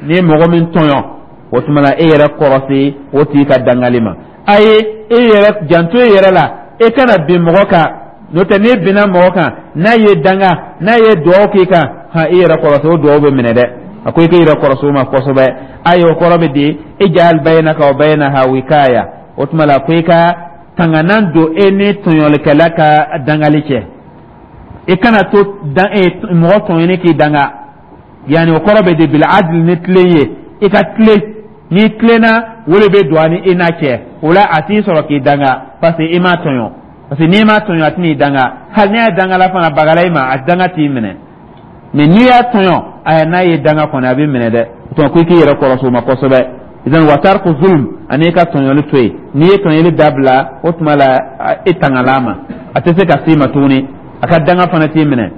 N'i ye mɔgɔ min tɔɲɔ, o tuma la e yɛrɛ kɔrɔsi o tigi ka dangali ma. A ye e yɛrɛ janto e yɛrɛ la, e kana bin mɔgɔ kan, n'o tɛ n'e binna mɔgɔ kan, n'a ye danga, n'a ye duwawu k'i kan, han, i yɛrɛ kɔrɔsi, o duwawu bɛ minɛ dɛ. A ko i k'i yɛrɛ kɔrɔsi o ma kosɛbɛ. A ye o kɔrɔ bɛ di, ij'al baynaka wa baynaha wikaya, o tuma la ko i ka tanganan don e ni tɔɲɔlikɛla ka dangali cɛ, i kana to dan e mɔgɔ tɔɲɔni k'i danga. Yanni o kɔrɔ bɛ di, bil adl, ni tilen ye, i ka tilen. N'i tilenna, o de bɛ don a ni i n'a cɛ. O la a t'i sɔrɔ k'i danga, parce que i m'a tɔɲɔ, parce que n'i m'a tɔɲɔ, a tɛn'i danga. Hali n'i y'a danga la fana, bagala i ma, a danga t'i minɛ. Mais n'i y'a tɔɲɔ, aya, n'a ye danga kɔni, a bɛ minɛ dɛ. O tuma ko i k'i yɛrɛ kɔlɔsi o ma kosɛbɛ. Idan wa tarku zulm, ani i ka tɔɲɔli to yen. N'i ye tɔɲɔli dabila, o tuma la e tangala ma, a tɛ se ka s'i ma tuguni, a ka danga fana t'i minɛ.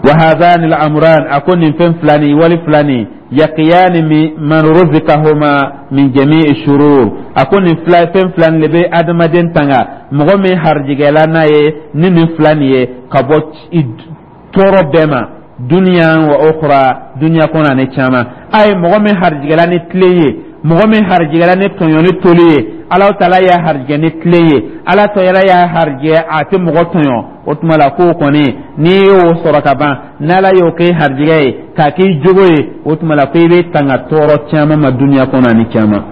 Wa hadhani al-amran, a ko nin fɛn fila nin, wali fila nin, yaqiyani man ruzikahuma min jami'i shurur, a ko nin fila, fɛn fila nin de bɛ adamaden tanga, mɔgɔ min harijigɛla n'a ye ni nin fila nin ye, ka bɔ tɔɔrɔ bɛɛ ma, duniya wa ukhra, duniya kɔnɔ ani caman. A ye mɔgɔ min harijigɛla ni tilen ye, mɔgɔ min harijigɛla ni tɔɲɔni toli ye, Ala taala y'a harijigɛ ni tilen ye, Ala taala y'a harijigɛ a tɛ mɔgɔ tɔɲɔ, o tuma la k'o kɔni, n'i y'o sɔrɔ ka ban, n'Ala y'o kɛ harijigɛ ye k'a k'i jogo ye, o tuma la ko i bɛ tanga tɔɔrɔ caman ma duniya kɔnɔ ani caman,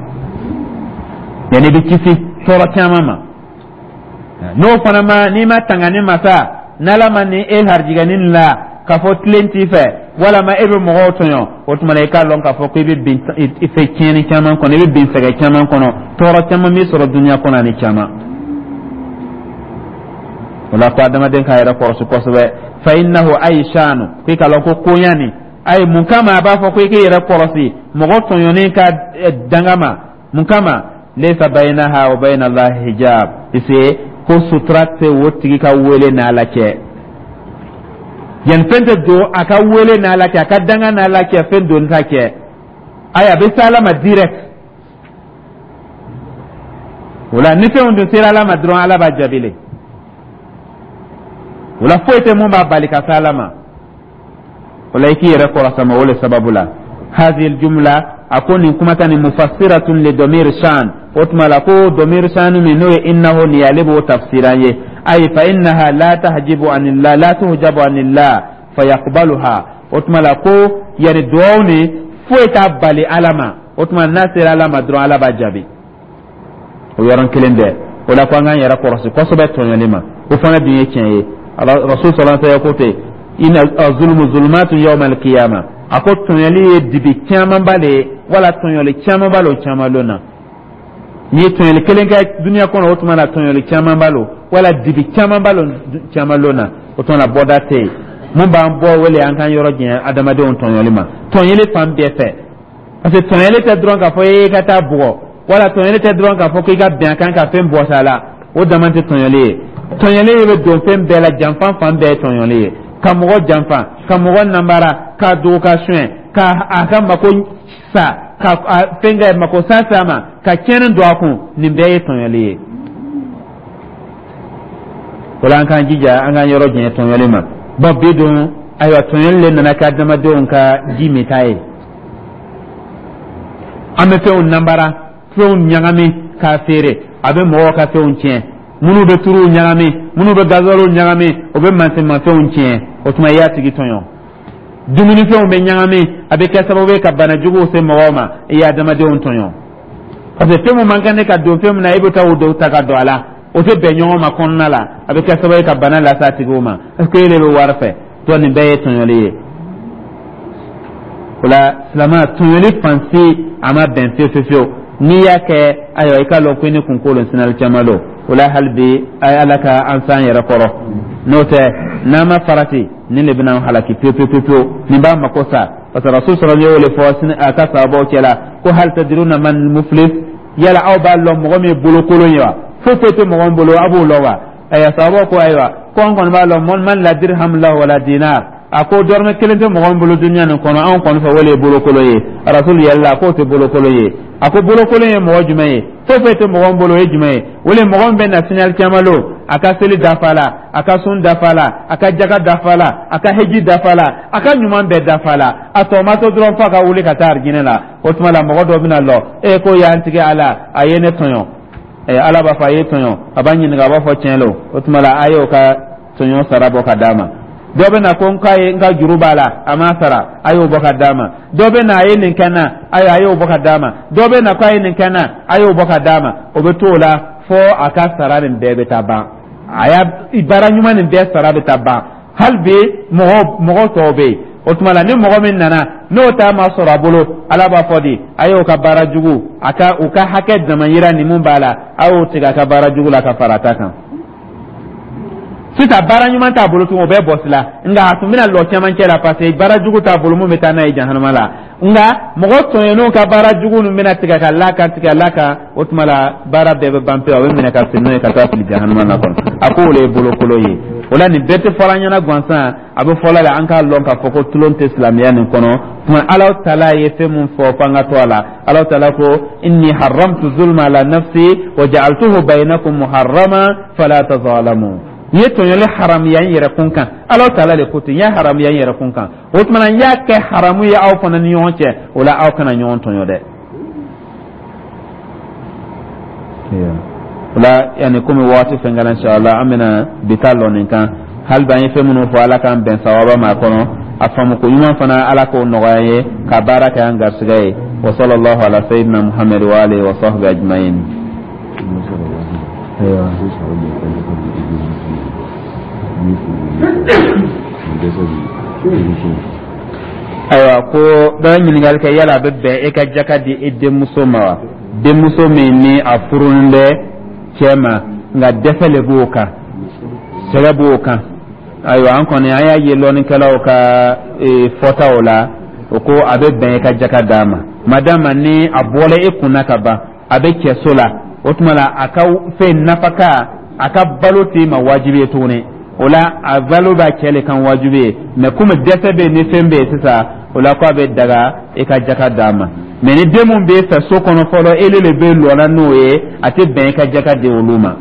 yanni i bɛ kisi tɔɔrɔ caman ma. N'o fana ma, n'i ma tanga ni masa, n'Ala ma ni e harijigɛ ni nin la k'a fɔ tilen t'i fɛ, walama e bɛ mɔgɔw tɔɲɔ, o tuma la i k'a lɔn k'a fɔ ko i bɛ bin i fɛ tiɲɛni caman kɔnɔ, i bɛ bin sɛgɛn caman kɔnɔ, tɔɔrɔ caman b'i sɔrɔ duniya kɔnɔ ani caman. O la ko adamaden k'a yɛrɛ kɔlɔsi kosɛbɛ. Fa innahu ay shanu, k'i k'a lɔn ko koɲa nin, ayi, mun kama a b'a fɔ ko i k'i yɛrɛ kɔlɔsi mɔgɔ tɔɲɔnen ka danga ma? Mun kama? Laysa baynaha wa bayna Allahi hijab, parce ko sutura tɛ o tigi ka wele n'Ala cɛ. Yan fɛn tɛ don a ka wele n'Ala cɛ, a ka danga n'Ala cɛ, fɛn don t'a cɛ. Ayi, a bɛ se Ala ma direct. O la ni fɛnw dun sera Ala ma dɔrɔn, Ala b'a jaabi. O la foyi tɛ mun b'a bali ka se Ala ma. O la i k'i yɛrɛ kɔrɔsama o le sababu la. Hadhihi jumla, a ko nin kumakan nin, mufassiratun li domir shan, o tuma la ko domir shan min n'o ye innahu nin ye, ale b'o tafsiran ye. Ay fa innaha la tahjibu anillah, la tuhjabu anillah fayaqbaluha, o tuma la ko yani duwawu ni foyi t'a bali Ala ma. O tuma n'a sera Ala ma dɔrɔn, Ala b'a jaabi o yɔrɔnin kelen bɛɛ. O la ko an k'an yɛrɛ kɔlɔsi kosɛbɛ tɔɲɔli ma. O fana dun ye tiɲɛ ye. Rasul sallallahu alaihi wasallam ko ten, inna zulmu zulumatun yawma alqiyama, a ko tɔɲɔli ye dibi camanba de ye, wala tɔɲɔli camanba lo caman lon na. N'i ye tɔɲɔli kelen kɛ duniya kɔnɔ, o tuma na tɔɲɔli camanba lo, wala dibi camanba lo caman lon na. O tuma na bɔda tɛ yen mun b'an bɔ wele an k'an yɔrɔ janya adamadenw tɔɲɔli ma, tɔɲɔli fan bɛɛ fɛ, parce que tɔɲɔli tɛ dɔrɔn k'a fɔ e ka taa bugɔ, wala tɔɲɔli tɛ dɔrɔn k'a fɔ k'i ka bɛn a kan ka fɛn bɔsi a la. O dama tɛ tɔɲɔli ye. Tɔɲɔli bɛ don fɛn bɛɛ la, janfan fan bɛɛ ye tɔɲɔli ye: ka mɔgɔ janfa, ka mɔgɔ nanbara, ka dogo, ka suɲɛ, ka a ka mako sa, ka fɛn kɛ mako sa s'a ma, ka tiɲɛni don a kun, nin bɛɛ ye tɔɲɔli ye. O la an k'an jija, an k'an yɔrɔ janya tɔɲɔli ma. Bɔn, bi dun, ayiwa, tɔɲɔli le nana kɛ adamadenw ka ji minta ye. An bɛ fɛnw nanbara, fɛnw ɲagami k'a feere, a bɛ mɔgɔw ka fɛnw tiɲɛ. Minnu bɛ turuw ɲagami, minnu bɛ gazuwaliw ɲagami, o bɛ mansinmafɛnw tiɲɛ. O tuma i y'a tigi tɔɲɔ. Dumunifɛnw bɛ ɲagami, a bɛ kɛ sababu ye ka bana juguw se mɔgɔw ma, i ye adamadenw tɔɲɔ, parce que fɛn min man kan ne ka don fɛn min na, e bɛ taa o dɔw ta ka don a la, o tɛ bɛn ɲɔgɔn ma kɔnɔna la, a bɛ kɛ sababu ye ka bana lase a tigiw ma, parce que e de bɛ wari fɛ. To nin bɛɛ ye tɔɲɔli ye. O la silamɛ, tɔɲɔli fan si a ma bɛn fiyewu fiyewu fiyewu. N'i y'a kɛ, ayiwa, i k'a lɔn ko i ni kunkolo sinali caman don. O la hali bi, a ye Ala ka an s'an yɛrɛ kɔrɔ, n'o tɛ n'an ma farati, nin de bɛna an halaki pewu pewu pewu. Nin b'a mako sa, parce que Rasul sɔrɔ y'o de fɔ a ka sababaw cɛ la ko hal tadruna man muflis, yala aw b'a lɔn mɔgɔ min ye bolokolon ye wa? Foyi foyi tɛ mɔgɔ min bolo, a b'o lɔn wa? Ayiwa, sababu ko ayiwa, ko an kɔni b'a lɔn, man la dirham lahu wala dinar. A ko dɔrɔmɛ kelen tɛ mɔgɔ min bolo dunuya nin kɔnɔ, anw kɔni fɛ, o de ye bolokolo ye. Rasulu yɛlɛla, k'o tɛ bolokolo ye. A ko bolokolon ye mɔgɔ jumɛn ye? Foyi foyi tɛ mɔgɔ min bolo, o ye jumɛn ye? O le mɔgɔ min bɛ na sini alikiyama lon, a ka seli dafa la, a ka sun dafa la, a ka jaga dafa la, a ka heji dafa la, a ka ɲuman bɛɛ dafa la, a tɔ ma to dɔrɔn f'a ka wuli ka taa arijinɛ la. O tuma la, mɔgɔ dɔ bɛna lɔ e ko y'an tigɛ ala, a ye ne tɔɲɔ. Ala b'a fɔ a ye tɔɲɔ, a b'a ɲininka, a b'a fɔ tiɲɛ lo. O tuma la, a y'o ka tɔɲɔ sara bɔ ka d'a ma. Dɔ bɛ na ko n k'a ye, n ka juru b'a la, a m'a sara, a y'o bɔ ka d'a ma. Dɔ bɛ na, a ye nin kɛ n na, ayiwa, a y'o bɔ ka d'a ma. Dɔ bɛ na ko a ye nin kɛ n na, a y'o bɔ ka d'a ma. O bɛ to o la fo a ka sara nin bɛɛ bɛ taa ban, a y'a baara ɲuman nin bɛɛ sara bɛ taa ban. Hali bi mɔgɔ mɔgɔ tɔw bɛ yen. O tuma la, ni mɔgɔ min nana n'o ta ma sɔrɔ a bolo, Ala b'a fɔ di, a y'o ka baara jugu, a ka u ka hakɛ damayira ni mun b'a la, a y'o tigɛ a ka baara jugu la ka fara a ta kan. Sisan baara ɲuman t'a bolo tugun, o bɛɛ bɔsi la, nka a tun bɛna lɔ cɛmancɛ la, parce que baara jugu t'a bolo mun bɛ taa n'a ye jahanama la. Nka mɔgɔ tɔɲɔnenw ka baara jugu ninnu bɛna tigɛ ka la kan, tigɛ la kan. O tuma la, baara bɛɛ bɛ ban pewu, a bɛ minɛ ka sen n'o ye ka taa fili jahanama na kɔnɔ. A ko o de ye bolokolo ye. O la, nin bɛɛ tɛ fɔra an ɲɛna gansan, a bɛ fɔlɔ la, an k'a lɔn k'a fɔ ko tulon tɛ silamɛya nin kɔnɔ. Tuma Ala taala ye fɛn mun fɔ f'an ka to a la. Ala taala ko inni haramtu zulma ala nafsi wa ja'altuhu baynakum muharrama fala tazalamu. N ye tɔɲɔli haramuya n yɛrɛ kun kan. Ala taala de ko ten, n y'a haramuya n yɛrɛ kun kan, o tuma na n y'a kɛ haramu ye aw fana ni ɲɔgɔn cɛ. O la, aw kana ɲɔgɔn tɔɲɔ dɛ. O la, yanni komi waati fɛn kɛra, inshallah an bɛna bi ta lɔ nin kan. Hali bi an ye fɛn minnu fɔ, Ala k'an bɛn sawaba ma a kɔnɔ. A faamuko ɲuman fana, Ala k'o nɔgɔya an ye ka baara kɛ an garisɛgɛ ye. Wa sallallahu ala sayyidina Muhammad wa alihi wa sahbihi ajma'in. Ayiwa, ayiwa, ko dɔ ye ɲininkali kɛ, yala a bɛ bɛn e ka jaka di i denmuso ma wa, denmuso min ni a furulen bɛ cɛ ma, nka dɛsɛ le b'o kan, sɛgɛ b'o kan? Ayiwa, an kɔni an y'a ye lɔnnikɛlaw ka fɔtaw la, o ko a bɛ bɛn e ka jaka d'a ma, madama ni a bɔla e kunna ka ban, a bɛ cɛso la. O tuma la, a ka fɛn nafaka, a ka balo t'i ma wajibi ye tuguni. O la, a balo b'a cɛ le kan wajibi ye. Mɛ komi dɛsɛ bɛ yen ni fɛn bɛ yen sisan, o la ko a bɛ daga e ka jaka d'a ma. Mɛ ni den mun b'e fɛ so kɔnɔ fɔlɔ, ele de bɛ lɔla n'o ye, a tɛ bɛn e ka jaka di olu ma.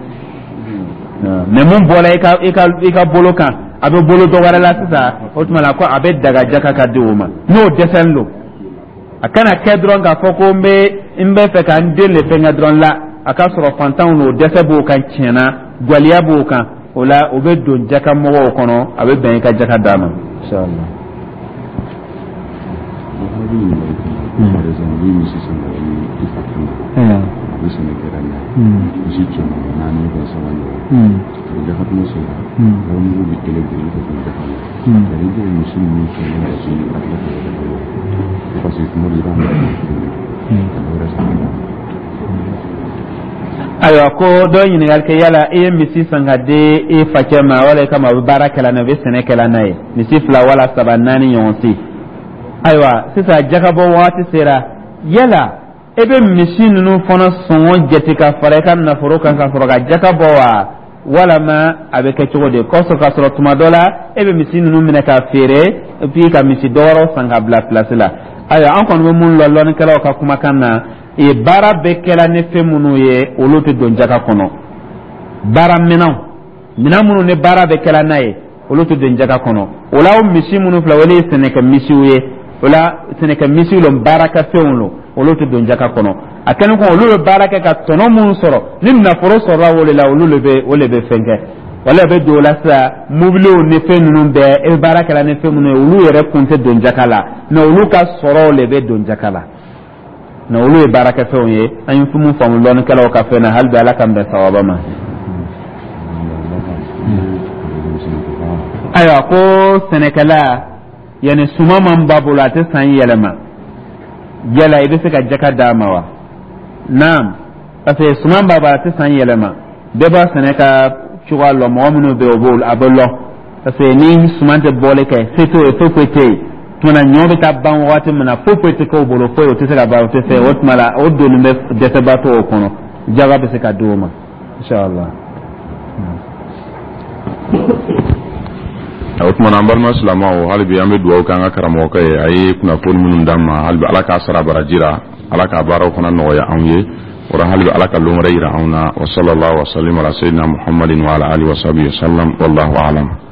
Mɛ mun bɔra i ka i ka i ka bolo kan, a bɛ bolo dɔ wɛrɛ la sisan, o tuma la ko a bɛ daga jaka ka di o ma, n'o dɛsɛlen don. A kana kɛ dɔrɔn k'a fɔ ko n bɛ n bɛ fɛ ka n den de fɛnkɛ dɔrɔn la, a ka sɔrɔ fantanw n'o dɛsɛ b'o kan tiɲɛna, gwaliya b'o kan. O la, o bɛ don jaka mɔgɔw kɔnɔ, a bɛ bɛn i ka jaka d'a ma, inshallah. Par exemple, ni misi san ka di i fakɛ ma, a bɛ sɛnɛ kɛra n'a ye, misi kɛmɛ naani bɛ saba ɲɔgɔn, a bɛ jaka tuma sera, warimugu bɛ kelen bolo, i bɛ ka jaka la, nka i b'o misi ninnu sɔn ka se ka tila ka jaka bɔ, parce que tuma dɔ i b'a minɛ ka dɔ wɛrɛ san ka d'a ma. Ayiwa, ko dɔ ye ɲininkali kɛ, yala i ye misi san ka di i facɛ ma wala i kama a bɛ baara kɛla n'a ye, a bɛ sɛnɛ kɛla n'a ye, misi fila wala saba, naani ɲɔgɔn si. Ayiwa, sisan jakabɔ waati sera, yala e bɛ misi ninnu fana sɔngɔ jate ka fara i ka nafolo kan ka sɔrɔ ka jaka bɔ wa, walama a bɛ kɛ cogo di? Kɔsɔn k'a sɔrɔ tuma dɔ la e bɛ misi ninnu minɛ ka feere, et puis ka misi dɔ wɛrɛw san ka bila place la. Ayiwa, an kɔni bɛ mun lɔn lɔnnikɛlaw ka kumakan na, e baara bɛ kɛla ni fɛn minnu ye, olu tɛ don jaka kɔnɔ. Baara minɛnw, minɛn minnu ni baara bɛ kɛla n'a ye, olu tɛ don jaka kɔnɔ. O la, o misi minnu filɛ, olu ye sɛnɛkɛ misiw ye. O la, sɛnɛkɛ misiw lo, baarakɛfɛnw lo, olu tɛ don jaka kɔnɔ. A kɛlen kɔ, olu bɛ baara kɛ ka tɔnɔ minnu sɔrɔ, ni nafolo sɔrɔla o de la, olu de bɛ o de bɛ fɛn kɛ, wala bɛ don o la. Sisan mobiliw ni fɛn ninnu bɛɛ, e bɛ baara kɛla ni fɛn minnu ye, olu yɛrɛ kun tɛ don jaka la, mɛ olu ka sɔrɔw de bɛ don jaka la, mɛ olu ye baarakɛfɛnw ye. An ye mun faamu lɔnnikɛlaw ka fɛn na, hali bi Ala k'an bɛn sawaba ma. Ayiwa, ko sɛnɛkɛla, yanni suman man b'a bolo, a tɛ san yɛlɛma, yala i bɛ se ka jaka d'a ma wa? Naam, parce que suman b'a bolo, a tɛ san yɛlɛma. Bɛɛ b'a sɛnɛ ka cogoya lɔn, mɔgɔ minnu bɛ yen, o b'o a bɛ lɔn, parce que ni suman tɛ bɔli kɛ, se t'o ye, foyi foyi tɛ yen. Tuma na ɲɔ bɛ taa ban wagati min na, foyi foyi tɛ k'o bolo, foyi o tɛ se ka ban, o tɛ se. O tuma la, o donni bɛ dɛsɛbaatɔ o kɔnɔ, jaga bɛ se ka di o ma. Inshallah. O tuma na, an balima silamɛw, hali bi an bɛ dugawu kɛ an ka karamɔgɔkɛ ye. A ye kunnafoni minnu d'an ma, hali bi Ala k'a sara baraji la, Ala k'a baaraw fana nɔgɔya anw ye. O la, hali bi Ala ka lon wɛrɛ yira anw na. Wa sallallahu wa sallim ala sayyidina Muhammadin wa ala alihi wa sahbihi wa sallam, wallahu a'lam.